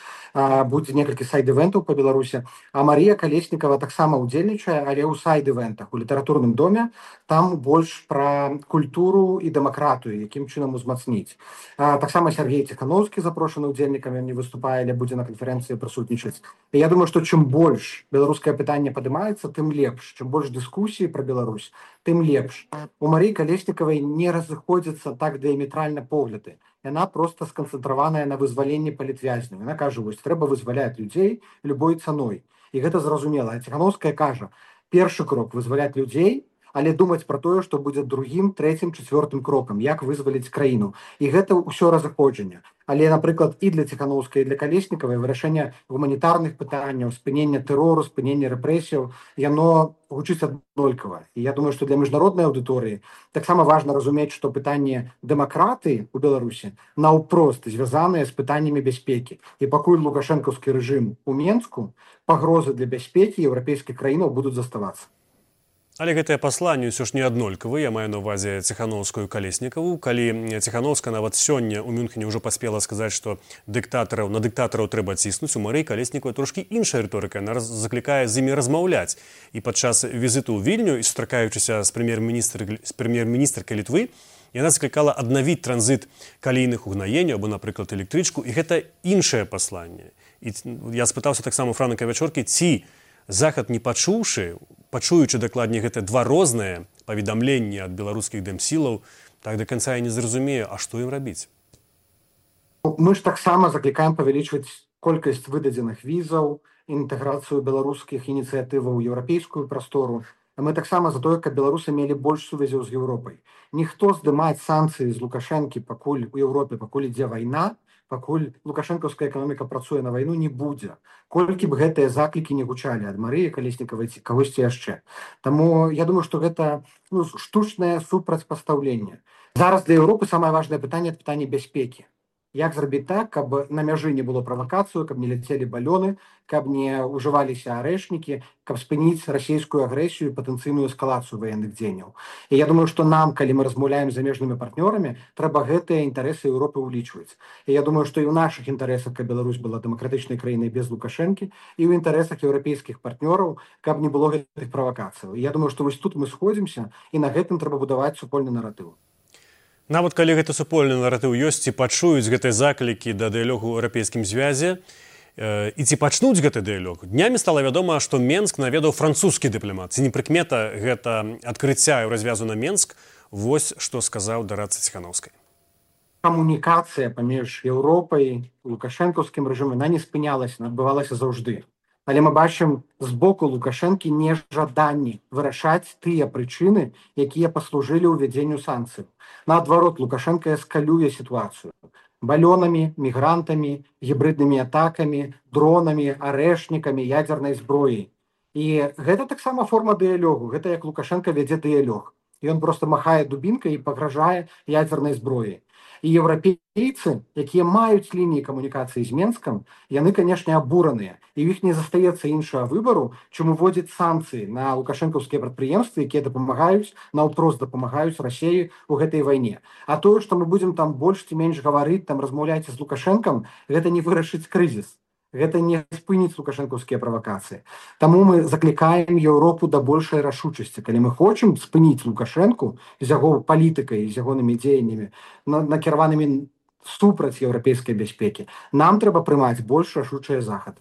Будзе некалькі сайд-івентаў па Беларусі. А Марія Калеснікава таксама удзельнічае, але ў сайд-івентах, у літаратурным доме. Там больш пра культуру і дэмакратыю, якім чынам узмацніць. Таксама Сергей Ціхановскі запрошаны ўдзельнікам, ён не выступае, але будзе на канферэнцыі прысутнічаць. І я думаю, што чым больш беларускае пытанне падымаецца, тым лепш. Чым больш дыскусіі пра Беларусь, тым лепш. У Марыі Калеснікавай не разыходзяцца так дыяметральна погляды. Яна просто сканцэнтраваная на вызваленні палітвязняў. Яна кажа, вось трэба вызваляць людзей любой цаной. І гэта зразумела. А Ціхановская кажа, першы крок вызваляць людзей, але думаць пра тое, што будзе другім, трэцім, чацвёртым крокам, як вызваліць краіну. І гэта ўсё разыходжанне. Але, напрыклад, і для Ціхановскай, і для Калеснікавай вырашэнне гуманітарных пытанняў, спынення тэрору, спынення рэпрэсіяў, яно гучыць аднолькава. І я думаю, што для міжнароднай аўдыторыі таксама важна разумець, што пытанне дэмакратыі ў Беларусі наўпрост звязаныя з пытаннямі бяспекі. І пакуль лукашэнкаўскі рэжым у Менску, пагрозы для бяспекі еўрапейскіх краінаў будуць заставацца. Але гэтае пасланне ўсё ж не аднолькавы. Я маю на ўвазе Ціхановскую і Калеснікаву. Калі Ціхановская нават сёння ў Мюнхене ўжо паспела сказаць, што дыктатараў на дыктатараў трэба ціснуць, у Марыі Калеснікавай трошкі іншая рыторыка. Яна заклікае з імі размаўляць. І падчас візіту ў Вільню і сустракаючыся з прэм'ер-міністркай Літвы, яна заклікала аднавіць транзіт калійных угнаенняў або, напрыклад, электрычку. І гэта іншае пасланне. І я спытаўся таксама Франака Вячоркі, ці Захад, не пачуўшы, пачуючы дакладней гэта два розныя паведамленні ад беларускіх дэмсілаў, так да канца я не зразумею, а што ім рабіць? Мы ж таксама заклікаем павялічваць колькасць выдадзеных візаў, інтэграцыю беларускіх ініцыятываў у еўрапейскую прастору. Мы таксама за тое, каб беларусы мелі больш сувязяў з Еўропай. Ніхто здымаць санкцыі з Лукашэнкі, пакуль у Еўропе, пакуль ідзе вайна, пакуль лукашэнкаўская эканоміка працуе на вайну, не будзе. Колькі б гэтыя заклікі не гучалі ад Марыі Калеснікавай ці кагосьці яшчэ. Таму я думаю, што гэта ну, штучнае супрацьпастаўленне. Зараз для Еўропы самае важнае пытанне – пытанне бяспекі. Як зрабіць так, каб на мяжы не было правакацыю, каб не ляцелі балёны, каб не ўжываліся арэшнікі, каб спыніць расійскую агрэсію і патэнцыйную эскалацыю ваенных дзеянняў. І я думаю, што нам, калі мы размаўляем з замежнымі партнёрамі, трэба гэтыя інтарэсы Еўропы ўлічваць. І я думаю, што і ў нашых інтарэсах, каб Беларусь была дэмакратычнай краінай без Лукашэнкі, і ў інтарэсах еўрапейскіх партнёраў, каб не было гэтых правакацыяў. І я думаю, што вось тут мы сходзімся, і на гэтым трэба будаваць супольны наратыў. Нават калі гэты супольны наратыў ёсць, ці пачуюць гэтыя заклікі да дыялогу ў еўрапейскім звязе, э, і ці пачнуць гэты дыялог. Днямі стала вядома, што Менск наведаў французскі дыпламат. Ці не прыкмета гэта адкрыцця і развязу на Менск? Вось што сказаў дарацца Ціхановскай. Камунікацыя паміж Еўропай, лукашэнкаўскім рэжымам, яна не спынялася, адбывалася заўжды. Але мы бачым з боку Лукашэнкі нежаданні вырашаць тыя прычыны, якія паслужылі ўвядзенню санкцый. Наадварот, Лукашэнка эскалюе сітуацыю балёнамі, мігрантамі, гібриднымі атакамі, дронамі, арэшнікамі, ядзернай зброяй. І гэта таксама форма дыялогу. Гэта як Лукашэнка вядзе дыялог. Ён просто махае дубінкай і пагражае ядзернай зброяй. І еўрапейцы, якія маюць лініі камунікацыі з Менскам, яны, канешне, абураныя. І ў іх не застаецца іншага выбару, чым уводзіць санкцыі на лукашэнкаўскія прадпрыемствы, якія дапамагаюць, наўпрост дапамагаюць Расіі ў гэтай вайне. А тое, што мы будзем там больш ці менш гаварыць, там размаўляць з Лукашэнкам, гэта не вырашыць крызіс. Гэта не спыніць лукашэнкаўскія правакацыі. Таму мы заклікаем Еўропу да большай рашучасці. Калі мы хочам спыніць Лукашэнку з яго палітыкай, з ягонымі дзеяннямі, накіраванымі супраць еўрапейскай бяспекі, нам трэба прымаць больш рашучыя захады.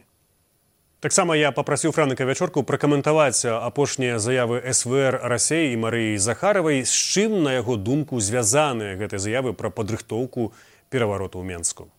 Таксама я папрасіў Франіка Вячорку пракаментаваць апошнія заявы эс вэ эр Расіі і Марыі Захаравай, з чым, на яго думку, звязаныя гэтыя заявы пра падрыхтоўку перавароту ў Менску.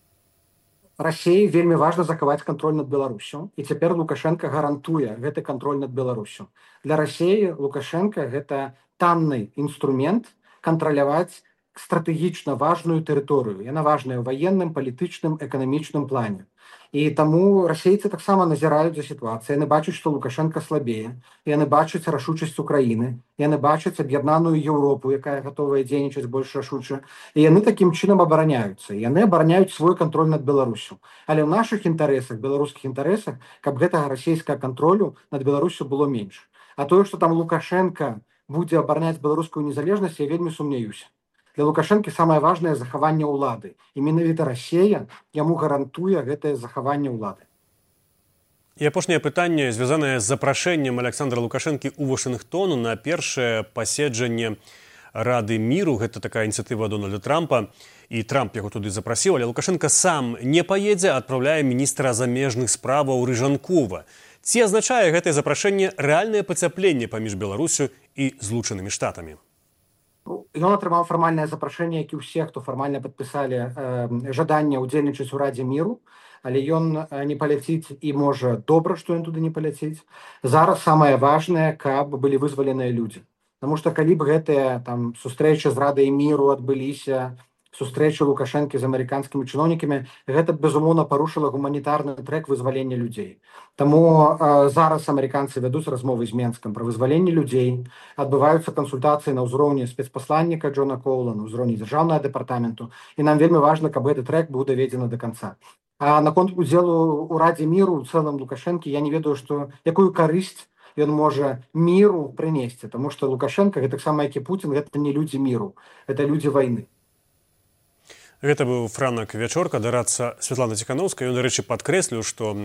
Расіі вельмі важна захаваць кантроль над Беларусю, і цяпер Лукашенко гарантуе гэты кантроль над Беларусю. Для Расіі Лукашенко гэта танны інструмент кантраляваць стратэгічна важную тэрыторыю. Яна важная ў ваенным, палітычным, эканамічным плане. І таму расейцы таксама назіраюць за сітуацыяй. Яны бачаць, што Лукашенко слабее. Яны бачаць рашучасць Украіны. Яны бачаць аб'яднаную Еўропу, якая гатовая дзейнічаць больш рашуча. І яны такім чынам абараняюцца. Яны абараняюць свой кантроль над Беларусю. Але ў нашых інтарэсах, беларускіх інтарэсах, каб гэтага расійскага кантролю над Беларусю было менш. А тое, што там Лукашенко будзе абараняць беларускую незалежнасць, я вельмі сумняюся. Для Лукашэнкі самае важнае захаванне ўлады. І менавіта Расія яму гарантуе гэтае захаванне ўлады. І апошняе пытанне звязанае з запрашэннем Александра Лукашэнкі ў Вашынгтону на першае паседжанне Рады міру. Гэта такая ініцыятыва Дональда Трампа. І Трамп яго туды запрасіў, але Лукашенко сам не паедзе, адпраўляе міністра замежных справаў Рыжанкова. Ці азначае гэтае запрашэнне рэальнае пацяпленне паміж Беларусю і Злучанымі Штатамі? Ён атрымаў фармальнае запрашэнне, як і ўсе, хто фармальна падпісалі э, жаданне ўдзельнічаць у Радзе міру, але ён не паляціць і можа добра, што ён туды не паляціць. Зараз самае важнае, каб былі вызваленыя людзі. Таму што калі б гэтыя там сустрэчы з Радай міру адбыліся, сустрэчы Лукашэнкі з амерыканскімі чыноўнікамі, гэта безумоўна парушыла гуманітарны трэк вызвалення людзей. Таму э, зараз амерыканцы вядуць размовы з Менскам пра вызваленне людзей, адбываюцца кансультацыі на ўзроўні спецпасланніка Джона Коула, на ўзроўні дзяржаўнага дэпартаменту, і нам вельмі важна, каб гэты трэк быў даведзены да канца. А наконт удзелу ў Радзе міру ў цэлым Лукашэнкі, я не ведаю, што якую карысць ён можа міру прынесці, таму што Лукашенко, гэта таксама як і Путін, гэта не людзі міру, гэта людзі вайны. Гэта быў Франак Вячорка, дарадца Святланы Ціханаўскай. Ён, дарэчы, падкрэсліў, што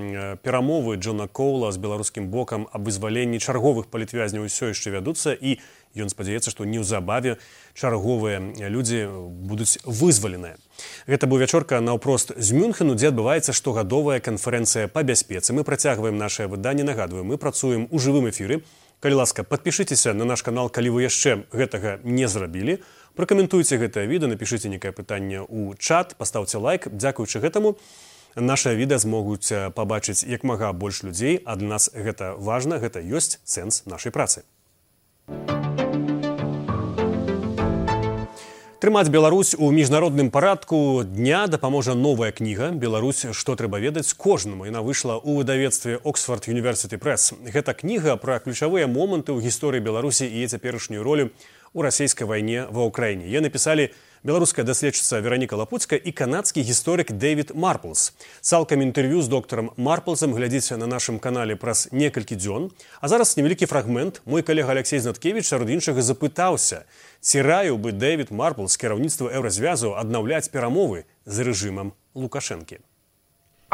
перамовы Джона Коула з беларускім бокам аб вызваленні чарговых палітвязняў усё яшчэ вядуцца, і ён спадзяецца, што неўзабаве чарговыя людзі будуць вызваленыя. Гэта быў Вячорка наўпрост з Мюнхену, дзе адбываецца штогадовая канферэнцыя па бяспецы. Мы працягваем нашае выданне. Нагадваю, мы працуем у жывым эфіры. Калі ласка, падпішыцеся на наш канал, калі вы яшчэ гэтага не зрабілі. Пракаментуйце гэтае відэа, напішыце некае пытанне ў чат, пастаўце лайк. Дзякуючы гэтаму нашае відэа змогуць пабачыць як мага больш людзей, а для нас гэта важна, гэта ёсць сэнс нашай працы. Трымаць Беларусь у міжнародным парадку дня дапаможа новая кніга «Беларусь. Што трэба ведаць кожнаму». Яна выйшла ў выдавецтве Oxford University Press. Гэта кніга пра ключавыя моманты ў гісторыі Беларусі і цяперашнюю ролю у расійскай вайне ва Ўкраіне. Яе напісалі беларуская даследчыца Вераніка Лапуцька і канадскі гісторык Дэвід Марплс. Цалкам інтэрв'ю з доктарам Марплсам глядзіце на нашым канале праз некалькі дзён. А зараз невялікі фрагмент. Мой калега Алексей Знаткевіч сярод іншага запытаўся, ці раіў бы Дэвід Марплс кіраўніцтва Еўразвязу аднаўляць перамовы з рэжымам Лукашэнкі.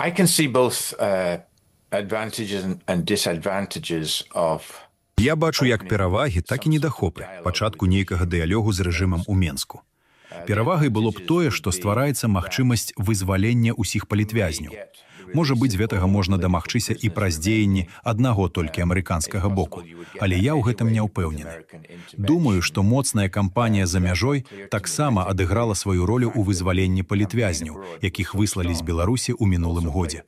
I can see both uh, advantages and disadvantages of Я бачу як перавагі, так і недахопы пачатку нейкага дыялогу з рэжымам у Менску. Перавагай было б тое, што ствараецца магчымасць вызвалення ўсіх палітвязняў. Можа быць, гэтага можна дамагчыся і праз дзеянні аднаго толькі амерыканскага боку, але я ў гэтым не ўпэўнены. Думаю, што моцная кампанія за мяжой таксама адыграла сваю ролю ў вызваленні палітвязняў, якіх выслалі з Беларусі ў мінулым годзе.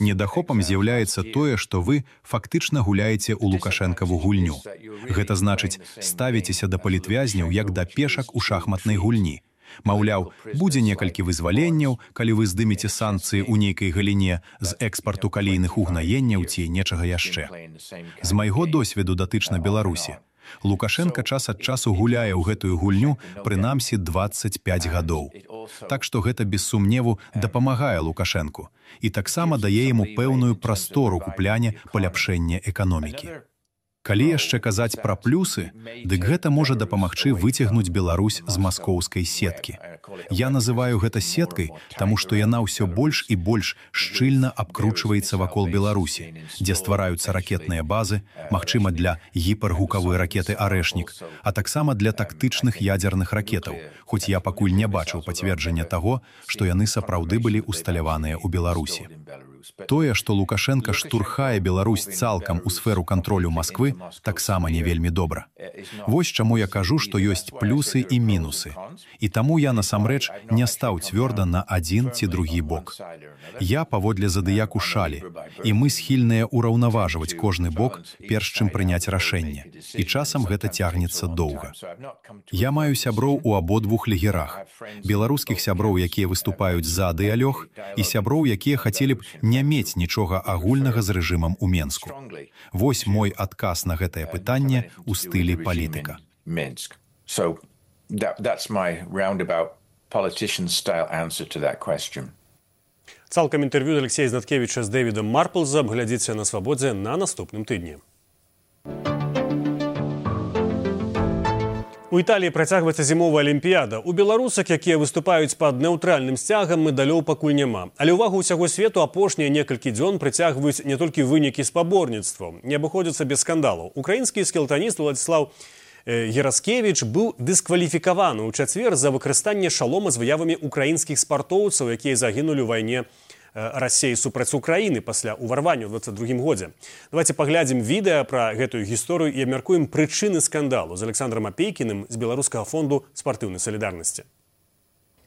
Недахопам з'яўляецца тое, што вы фактычна гуляеце ў Лукашэнкаву гульню. Гэта значыць, ставіцеся да палітвязняў як да пешак у шахматнай гульні. Маўляў, будзе некалькі вызваленняў, калі вы здымеце санкцыі ў нейкай галіне з экспарту калійных угнаенняў ці нечага яшчэ. З майго досведу датычна Беларусі, Лукашенка час ад часу гуляе ў гэтую гульню прынамсі дваццаць пяць гадоў. Так што гэта без сумневу дапамагае Лукашенку і таксама дае яму пэўную прастору купляне паляпшэння эканомікі. Калі яшчэ казаць пра плюсы, дык гэта можа дапамагчы выцягнуць Беларусь з маскоўскай сеткі. Я называю гэта сеткай, таму што яна ўсё больш і больш шчыльна абкручваецца вакол Беларусі, дзе ствараюцца ракетныя базы, магчыма для гіпергукавой ракеты «Арэшнік», а таксама для тактычных ядзерных ракетаў, хоць я пакуль не бачыў пацверджання таго, што яны сапраўды былі усталяваныя ў Беларусі. Тое, што Лукашенка штурхае Беларусь цалкам у сферу кантролю Масквы, таксама не вельмі добра. Вось чаму я кажу, што ёсць плюсы і мінусы. І таму я насамрэч не стаў цвёрда на адзін ці другі бок. Я паводле задыяку шалі, і мы схільныя ўраўнаважваць кожны бок, перш чым прыняць рашэнне. І часам гэта цягнецца доўга. Я маю сяброў у абодвух лагерах. Беларускіх сяброў, якія выступаюць за дыялог, і сяброў, якія хацелі б не мець нічога агульнага з рэжымам у Менску. Вось мой адказ на гэтае пытанне ў стылі палітыка. So that, that's my roundabout politician style answer to that question. Цалкам інтэрв'ю Алексея Знаткевіча з Дэвідам Марплзам глядзіце на Свабодзе на наступным тыдні. У Італіі працягваецца зімовая алімпіяда. У беларусак, якія выступаюць пад неўтральным сцягам, медалёў пакуль няма. Але ўвагу ўсяго свету апошнія некалькі дзён прыцягваюць не толькі вынікі спаборніцтваў. Не абыходзяцца без скандалаў. Украінскі скелетаніст Уладзіслаў Яраскевіч быў дыскваліфікаваны ў чацвер за выкарыстанне шалома з выявамі украінскіх спартоўцаў, якія загінулі ў вайне Расіі супраць Украіны пасля ўварвання ў дваццаць другім годзе. Давайте паглядзім відэа пра гэтую гісторыю і абмяркуем прычыны скандалу з Александрам Апейкіным з Беларускага фонду спартыўнай салідарнасці.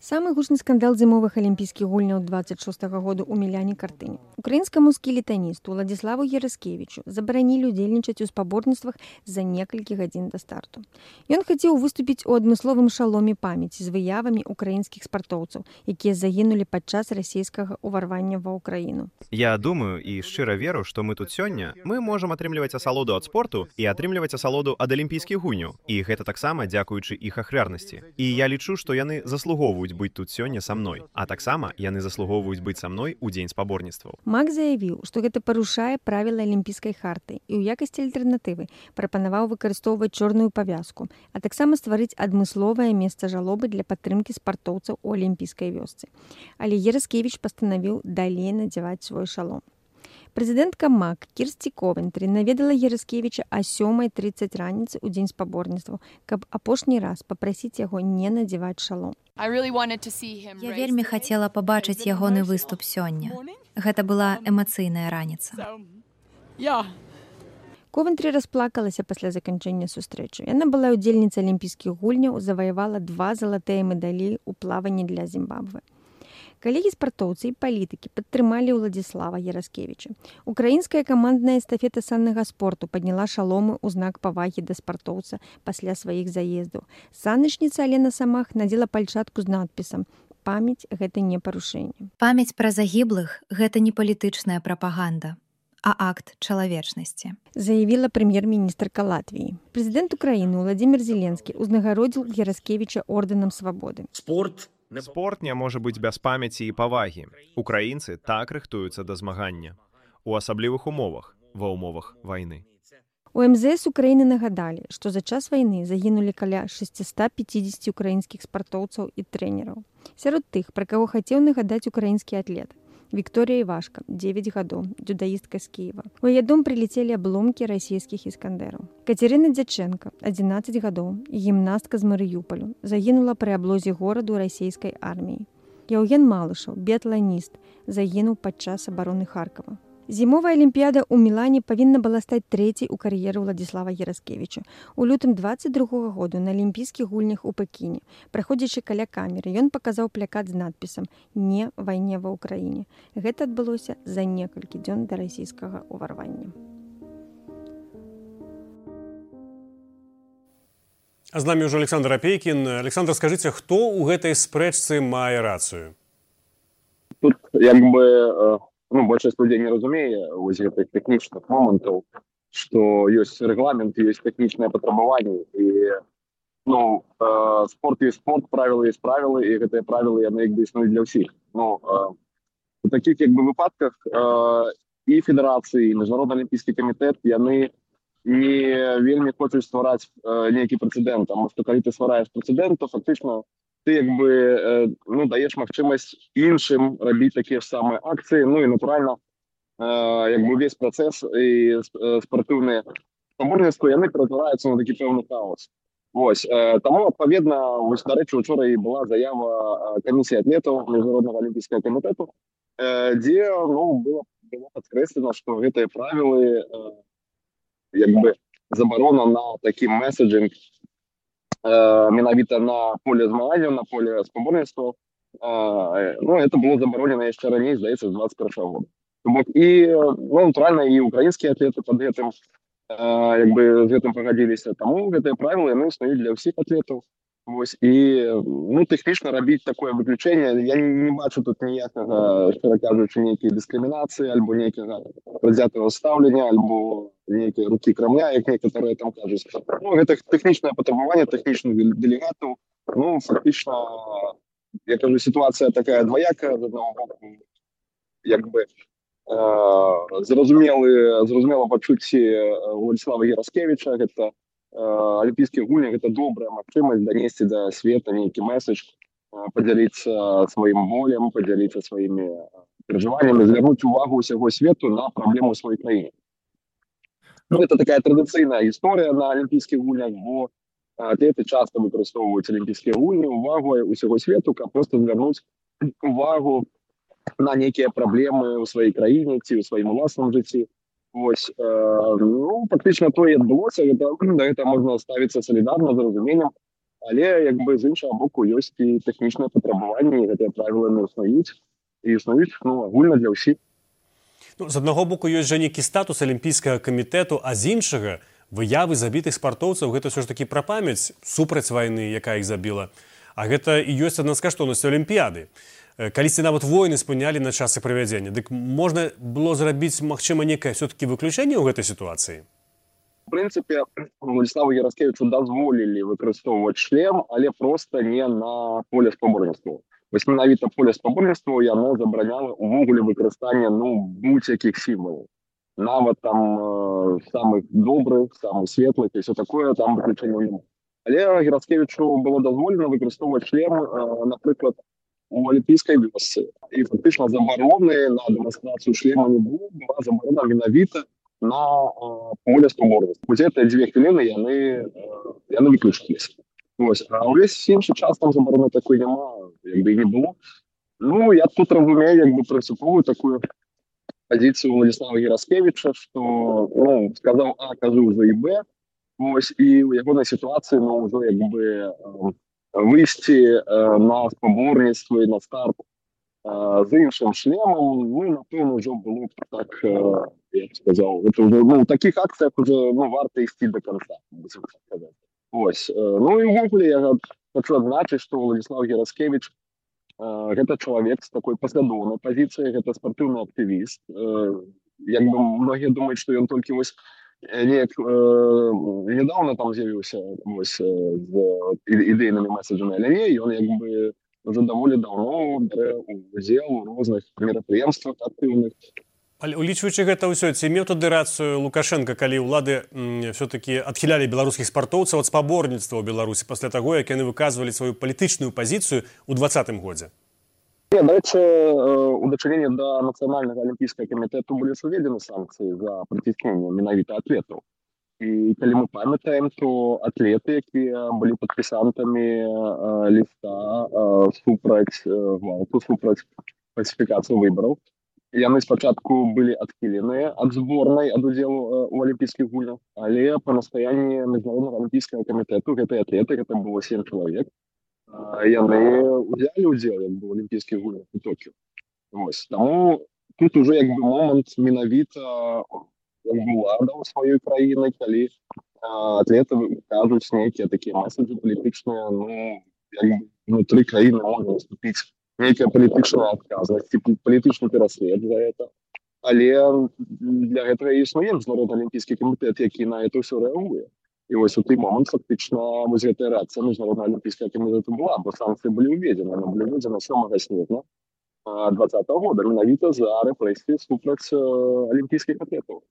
Самы гучны скандал зімовых алімпійскіх гульняў дваццаць шостага году ў Міляне Картыні. Украінскаму скелетаністу Уладзіславу Яраскевічу забаранілі ўдзельнічаць у спаборніцтвах за некалькі гадзін да старту. Ён хацеў выступіць у адмысловым шаломе памяці з выявамі украінскіх спартоўцаў, якія загінулі падчас расійскага ўварвання ва ўкраіну. Я думаю і шчыра веру, што мы тут сёння мы можам атрымліваць асалоду ад спорту і атрымліваць асалоду ад алімпійскіх гульняў. І гэта таксама дзякуючы іх ахвярнасці. І я лічу, што яны заслугоўваюць быць тут сёння са мной, а таксама яны заслугоўваюць быць са мной у дзень спаборніцтваў. Мак заявіў, што гэта парушае правілы алімпійскай харты і ў якасці альтэрнатывы прапанаваў выкарыстоўваць чорную павязку, а таксама стварыць адмысловае месца жалобы для падтрымкі спартоўцаў у алімпійскай вёсцы. Але Яраскевіч пастанавіў далей надзяваць свой шалом. Прэзідэнтка МАК Кірсці Ковентры наведала Яраскевіча а сёмай трыццаць раніцы ў дзень спаборніцтваў, каб апошні раз папрасіць яго не надзяваць шалом. Я вельмі хацела пабачыць ягоны выступ сёння. Гэта была эмацыйная раніца. Ковентры расплакалася пасля заканчэння сустрэчы. Яна была ўдзельніцай алімпійскіх гульняў, заваявала два залатыя медалі ў плаванні для Зімбабве. Калегі-спартоўцы і палітыкі падтрымалі Уладзіслава Яраскевіча. Украінская камандная эстафета саннага спорту падняла шаломы ў знак павагі да спартоўца пасля сваіх заездаў. Саначніца Алена Самах надзела пальчатку з надпісам «Памяць – гэта не парушэнне». Памяць пра загіблых – гэта не палітычная прапаганда, а акт чалавечнасці, заявіла прэм'ер-міністрка Латвіі. Прэзідэнт Украіны Уладзімір Зеленскі ўзнагародзіў Яраскевіча ордэнам свабоды. Спорт Спорт не можа быць без памяці і павагі. Украінцы так рыхтуюцца да змагання. У асаблівых умовах, ва ўмовах вайны. У эм зэ эс Украіны нагадалі, што за час вайны загінулі каля шэсцьсот пяцьдзесят украінскіх спартоўцаў і трэнераў. Сярод тых, пра каго хацеў нагадаць украінскі атлет. Вікторія Івашка, дзевяць гадоў, дзюдаістка з Кіева. У яе дом прылецелі абломкі расійскіх іскандэраў. Кацярына Дзячэнка, адзінаццаць гадоў, гімнастка з Марыюполю, загінула пры аблозе гораду расійскай арміі. Яўген Малышаў, біятланіст, загінуў падчас абароны Харкава. Зімовая алімпіяда ў Мілане павінна была стаць трэцяй у кар'еры Уладзіслава Яраскевіча. У лютым дваццаць другога году на алімпійскіх гульнях у Пекіне, праходзячы каля камеры, ён паказаў плакат з надпісам «Не вайне ва ўкраіне». Гэта адбылося за некалькі дзён да расійскага ўварвання. А з намі ўжо Александр Апейкін. Александр, скажыце, хто ў гэтай спрэчцы мае рацыю? Тут як бы... Ну, большасць людзей не разумее вось гэтых тэхнічных момантаў, што ёсць рэгламент, ёсць тэхнічныя патрабаванні і ну э, спорт ёсць спорт, правілы ёсць правілы, і гэтыя правілы яны як бы існуюць для ўсіх. Ну э, у такіх як бы выпадках э, і федэрацыі, і міжнародны алімпійскі камітэт яны не вельмі хочуць ствараць э, нейкі прэцэдэнт, таму што калі ты ствараеш прэцэдэнт, то фактычна ты як бы э, ну даеш магчымасць іншым рабіць такія ж самыя акцыі, ну і натуральна э, як бы увесь працэс і э, спартыўныя спаборніцтвы яны ператвараюцца на такі пэўны хаос. Вось э, таму адпаведна, вось дарэчы, учора і была заява камісіі атлетаў міжнароднага алімпійскага камітэту, э, дзе ну было, было падкрэслена, што гэтыя правілы э, як бы забарона на такі меседжинг э, менавіта на поле змаганняў, на поле спаборніцтваў, э, ну это было забаронена яшчэ раней, здаецца, з двадцать першого года. То бок і ну, натуральна і украінскія атлеты пад гэтым э, як бы з гэтым пагадзіліся, таму гэтыя правілы яны існуюць для ўсіх атлетаў. Вось і ну тэхнічна рабіць такое выключэнне, я не, не бачу тут ніякага, шчыра кажучы, нейкай дыскрымінацыі альбо нейкага прадзятага стаўлення альбо нейкай рукі крамля, як некаторыя там кажуць. Ну гэта тэхнічнае патрабаванне тэхнічных дэлегатаў. Ну фактычна, я кажу, сітуацыя такая дваякая, з аднаго боку як бы э, зразумелы зразумела пачуцці Владислава Яраскевіча, гэта алімпійскія гульні, гэта добрая магчымасць данесці да света нейкі меседж, падзяліцца сваім болем, падзяліцца сваімі перажываннямі, звярнуць увагу ўсяго свету на праблему ў сваёй краіне. Ну, гэта такая традыцыйная гісторыя на алімпійскіх гульнях, бо атлеты часта выкарыстоўваюць алімпійскія гульні, увагу ўсяго свету, каб проста звярнуць увагу на нейкія праблемы ў сваёй краіне ці ў сваім уласным жыцці. Вось, э, ну, фактычна то і адбылося, гэта, да гэта можна ставіцца салідарна, з разуменнем, але як бы з іншага боку ёсць і тэхнічныя патрабаванні, і гэтыя правілы не існуюць, і існуюць ну, агульна для ўсіх. Ну, з аднаго боку ёсць жа нейкі статус алімпійскага камітэту, а з іншага выявы забітых спартоўцаў гэта ўсё ж такі пра памяць супраць вайны, якая іх забіла. А гэта і ёсць адна з каштоўнасцяў алімпіяды. Калісьці нават войны спынялі на час іх правядзення. Дык можна было зрабіць, магчыма, некае все-таки выключэнне ў гэтай сітуацыі? В прынцыпе, Владиславу Яраскевічу дазволілі выкарыстоўваць шлем, але проста не на поле спаборніцтваў. Вось менавіта поле спаборніцтваў яно забараняла увогуле выкарыстанне ну будь-якіх сімвалаў. Нават там э, самых добрых, самых светлых і все такое, там выключэння няма. Але Яраскевічу было дазволена выкарыстоўваць шлем, э, напрыклад, у алімпійскай вёсцы. І фактычна забароны на дэманстрацыю шлема не было, была забарона менавіта на э, поле спаборніцтваў. Вось гэтыя дзве хвіліны яны, э, яны выключыліся. Вось. А ўвесь іншы час там забароны такой няма, як бы і не было. Ну, я тут разумею, як бы прынцыповую такую пазіцыю Владислава Яраскевіча, што ну, сказаў А, кажу за і Б. Вось, і ў ягонай сітуацыі ну, ўжо як бы э, выйсці э, на спаборніцтва і на старт э, з іншым шлемам, ну, напэўна, ўжо было так, э, я б сказаў, это ўжо, ну, у такіх акцыях ўжо ну, варта ісці да канца. Ось. Ну, і ўвогуле я хочу адзначыць, што Владислав Яраскевіч э, гэта чалавек з такой паслядоўнай пазіцыяй, гэта спартыўны актывіст. Э, як бы многія думаюць, што ён толькі вось неяк э, недавно там з'явіўся вось, э, з ідэйнымі меседжамі, але не, ён як бы уже даволі даўно бярэ удзел у розных мерапрыемствах актыўных. Але улічваючы гэта ўсё, ці меў тады рацыю Лукашенко, калі ўлады все-таки адхілялі беларускіх спартоўцаў ад спаборніцтва ў Беларусі пасля таго, як яны выказвалі сваю палітычную пазіцыю ў двадцатым годзе? Не, дарэчы, у дачыненні да нацыянальнага алімпійскага камітэту былі уведзены санкцыі за прыцісненне менавіта атлетаў. І калі мы памятаем, то атлеты, якія былі падпісантамі э, ліста э, супраць э, гвалту, супраць фальсіфікацыі выбараў, яны спачатку былі адхіленыя ад зборнай ад удзелу э, у алімпійскіх гульнях, але па настаянні міжнароднага алімпійскага камітэту гэтыя атлеты, гэта было сем чалавек, яны ўзялі ўдзел як бы, у алімпійскіх гульнях у Токіо. Вось. Таму тут уже як бы момант менавіта як бы ўлада ў сваёй краіны, калі а, атлеты кажуць нейкія такія меседжы палітычныя, ну, як бы внутры краіны можна наступіць нейкая палітычная адказнасць, палітычны пераслед за гэта. але для гэтага існуе міжнародны алімпійскі камітэт, які на это ўсё рэагуе. І вось у той момант фактычна вось гэтая рэакцыя міжнароднага алімпійскага камітэту была, бо санкцыі былі ўведзены, яны былі ўведзены сёмага снежня двадцатого года менавіта за рэпрэсіі супраць алімпійскіх атлетаў.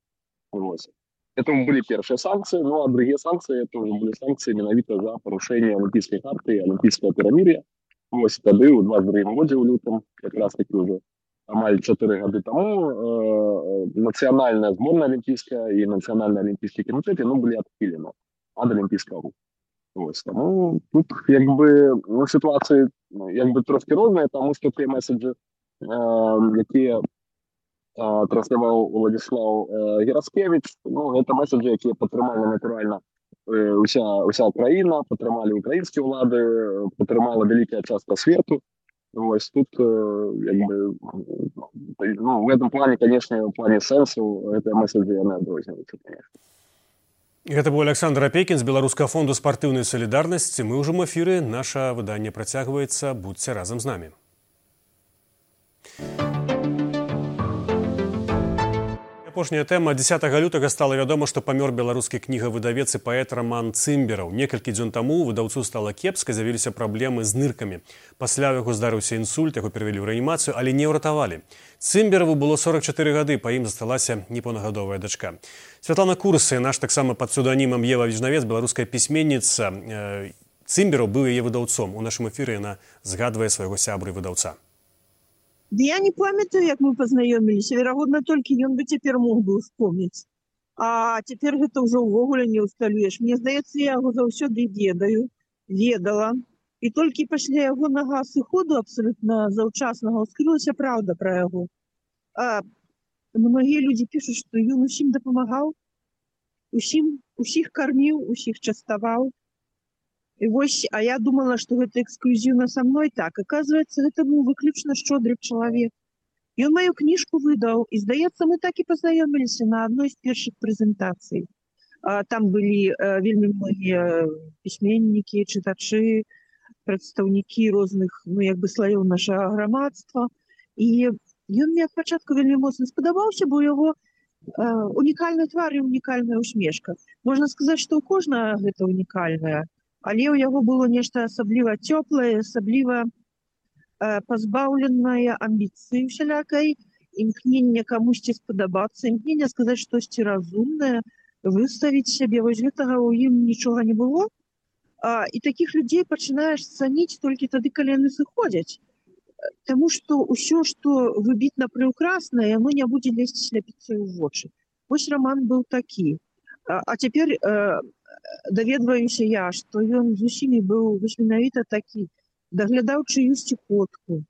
Вось. Это были первые санкции, ну а другие санкции, это уже были санкции менавіта за парушение Олимпийской карты и Олимпийского перемирия. Вот тогда, у двадцать другом году, в лютом, как раз таки уже амаль четыре года тому, э, национальная сборная олимпийская и национальный олимпийский комитет, ну, были отпилены от Олимпийского руку. Вот. Ну, тут, как бы, ну, ситуация, как бы, трошки розная, потому что те месседжи, э, которые трансляваў Владислав Гераскевич, ну, гэта месседжы, якія падтрымалі натуральна уся, уся краіна, падтрымалі украінскія ўлады, падтрымала вялікая частка свету. Вось тут, як бы, ну, в этом плане, конечно, в плане сэнсу, гэтыя месседжы яны адрозніваюцца, конечно. Гэта быў Александр Апейкін з Беларускага фонду спартыўнай салідарнасці. Мы ўжо ў эфіры, наша выданне працягваецца, будзьце разам з намі. Апошняя тэма. дзесятага лютага стала вядома, што памёр беларускі кнігавыдавец і паэт Роман Цымбераў. Некалькі дзён таму выдаўцу стала кепска, з'явіліся праблемы з ныркамі. Пасля яго здарыўся інсульт, яго перавялі ў рэанімацыю, але не ўратавалі. Цымбераву было сорок чатыры гады, па ім засталася непаўнагадовая дачка. Святлана Курсы, наш таксама пад псеўданімам Ева Віжнавец, беларуская пісьменніца. Цымбераў быў яе выдаўцом. У нашым эфіры яна згадвае свайго сябры выдаўца. Да я не памятаю, як мы пазнаёміліся. Верагодна, толькі ён бы цяпер мог бы успомніць. А цяпер гэта ўжо ўвогуле не ўсталюеш. Мне здаецца, я яго заўсёды ведаю, ведала. І толькі пасля ягонага сыходу абсалютна заўчаснага ўскрылася праўда пра яго. А многія людзі пішуць, што ён усім дапамагаў, усім, усіх карміў, усіх частаваў. І вось, а я думала, што гэта эксклюзіўна са мной. Так, аказваецца, гэта быў выключна шчодры чалавек. Ён маю кніжку выдаў, і, здаецца, мы так і пазнаёміліся на адной з першых прэзентацый. Там былі вельмі многія пісьменнікі, чытачы, прадстаўнікі розных, ну, як бы, слаёў нашага грамадства. І ён мне ад пачатку вельмі моцна спадабаўся, бо яго унікальны твар і унікальная усмешка. Можна сказаць, што ў кожнага гэта унікальная. Але ў яго было нешта асабліва цёплае, асабліва э, пазбаўленае амбіцыі усялякай, імкнення камусьці спадабацца, імкнення сказаць штосьці разумнае, выставіць сябе. Вось гэтага ў ім нічога не было. А, і такіх людзей пачынаеш цаніць толькі тады, калі яны сыходзяць. Таму што ўсё, што выбітна прыўкраснае, яно не будзе лезці сляпіцца ў вочы. Вось Роман быў такі. А, а цяпер... Э, даведваюся я, што ён з усімі быў менавіта такі, даглядаў чыюсьці котку.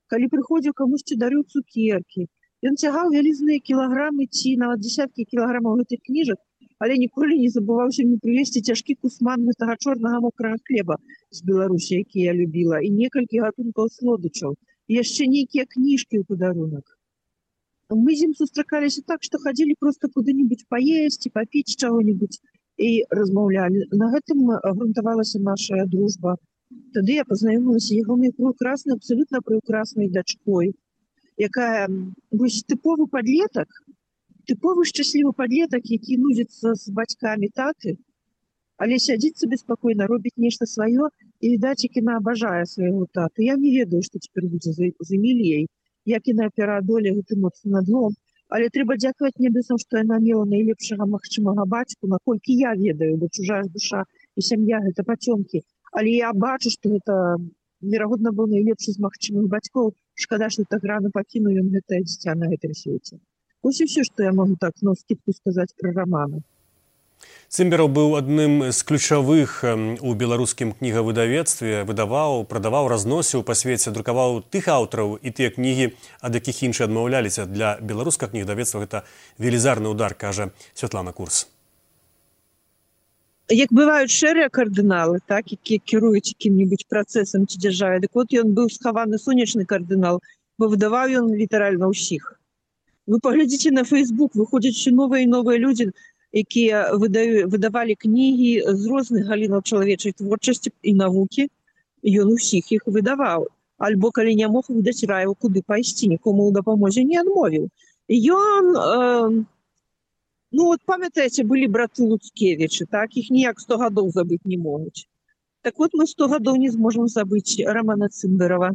Калі прыходзіў камусьці дарыў цукеркі, ён цягаў вялізныя кілаграмы ці нават дзесяткі кілаграмаў гэтых кніжак, але ніколі не забываўся мне прывезці цяжкі кусман гэтага чорнага мокрага хлеба з Беларусі, які я любіла, і некалькі гатункаў слодычаў, і яшчэ нейкія кніжкі ў падарунак. Мы з ім сустракаліся так, што хадзілі проста куды-небудзь паесці, папіць чаго-небудзь, і размаўлялі. На гэтым грунтавалася наша дружба. Тады я пазнаёмілася ягонай прыўкраснай, абсалютна прыўкраснай дачкой, якая, вось, тыповы падлетак, тыповы шчаслівы падлетак, які нудзіцца з бацькамі таты, але сядзіць сабе спакойна, робіць нешта сваё, і, відаць, як яна абажае свайго таты. Я не ведаю, што цяпер будзе з Эміліяй, як яна пераадолее гэты моцны надлом. Але трэба дзякаваць небесам, што яна мела найлепшага магчымага бацьку, наколькі я ведаю, бо чужая душа і сям'я гэта пацёмкі. Але я бачу, што гэта, верагодна, быў найлепшы з магчымых бацькоў. Шкада, што так рана пакінуў ён гэтае дзіця на гэтым свеце. Вось і ўсё, што я магу так на скідку сказаць пра Романа. Цымбераў быў адным з ключавых у беларускім кнігавыдавецтве, выдаваў, прадаваў, разносіў па свеце, друкаваў тых аўтараў і тыя кнігі, ад якіх іншыя адмаўляліся. Для беларускага кнігавыдавецтва гэта велізарны ўдар, кажа Святлана Курс. Як бываюць шэрыя кардыналы, так, якія кіруюць якім-небудзь працэсам ці дзяржавай, дык от ён быў схаваны сонечны кардынал, бо выдаваў ён літаральна ўсіх. Вы паглядзіце на Фейсбук, выходзяць ще новыя і новыя людзі, якія выдавалі кнігі з розных галінаў чалавечай творчасці і навукі, ён усіх іх выдаваў. Альбо, калі не мог выдаць, раіў, куды пайсці, нікому ў дапамозе не адмовіў. Ён, э, ну вот памятаеце, былі браты Луцкевічы, так? Іх ніяк сто гадоў забыць не могуць. Так вот мы сто гадоў не зможам забыць Романа Цымберава.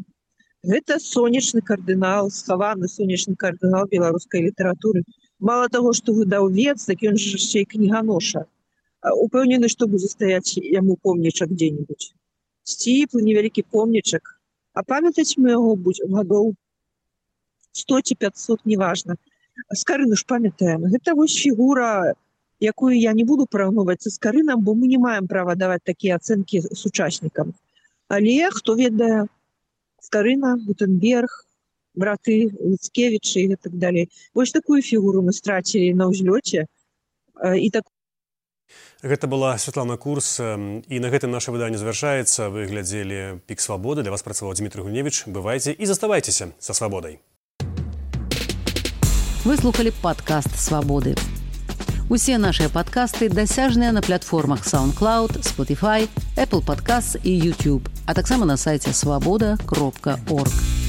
Гэта сонечны кардынал, схаваны сонечны кардынал беларускай літаратуры. Мало таго, што выдаўец, так ён ж яшчэ і кніганоша. Упэўнены, што будзе стаяць яму помнічак дзе-небудзь. Сціплы, невялікі помнічак. А памятаць мы яго будзем гадоў сто ці пятьсот, неважна. Скарыну ж памятаем. Гэта вось фігура, якую я не буду параўноўваць са Скарынам, бо мы не маем права даваць такія ацэнкі сучаснікам. Але хто ведае, Скарына, Гутенберг, браты Луцкевічы і так далей. Вось такую фігуру мы страцілі на ўзлёце. І так Гэта была Святлана Курс, і на гэтым наша выданне завяршаецца. Вы глядзелі «Пік свабоды». Для вас працаваў Дмітрый Гурневіч. Бывайце і заставайцеся са свабодай. Вы слухали падкаст «Свабоды». Усе нашыя падкасты дасяжныя на платформах SoundCloud, Spotify, Apple Podcasts і YouTube, а таксама на сайце свабода кропка орг.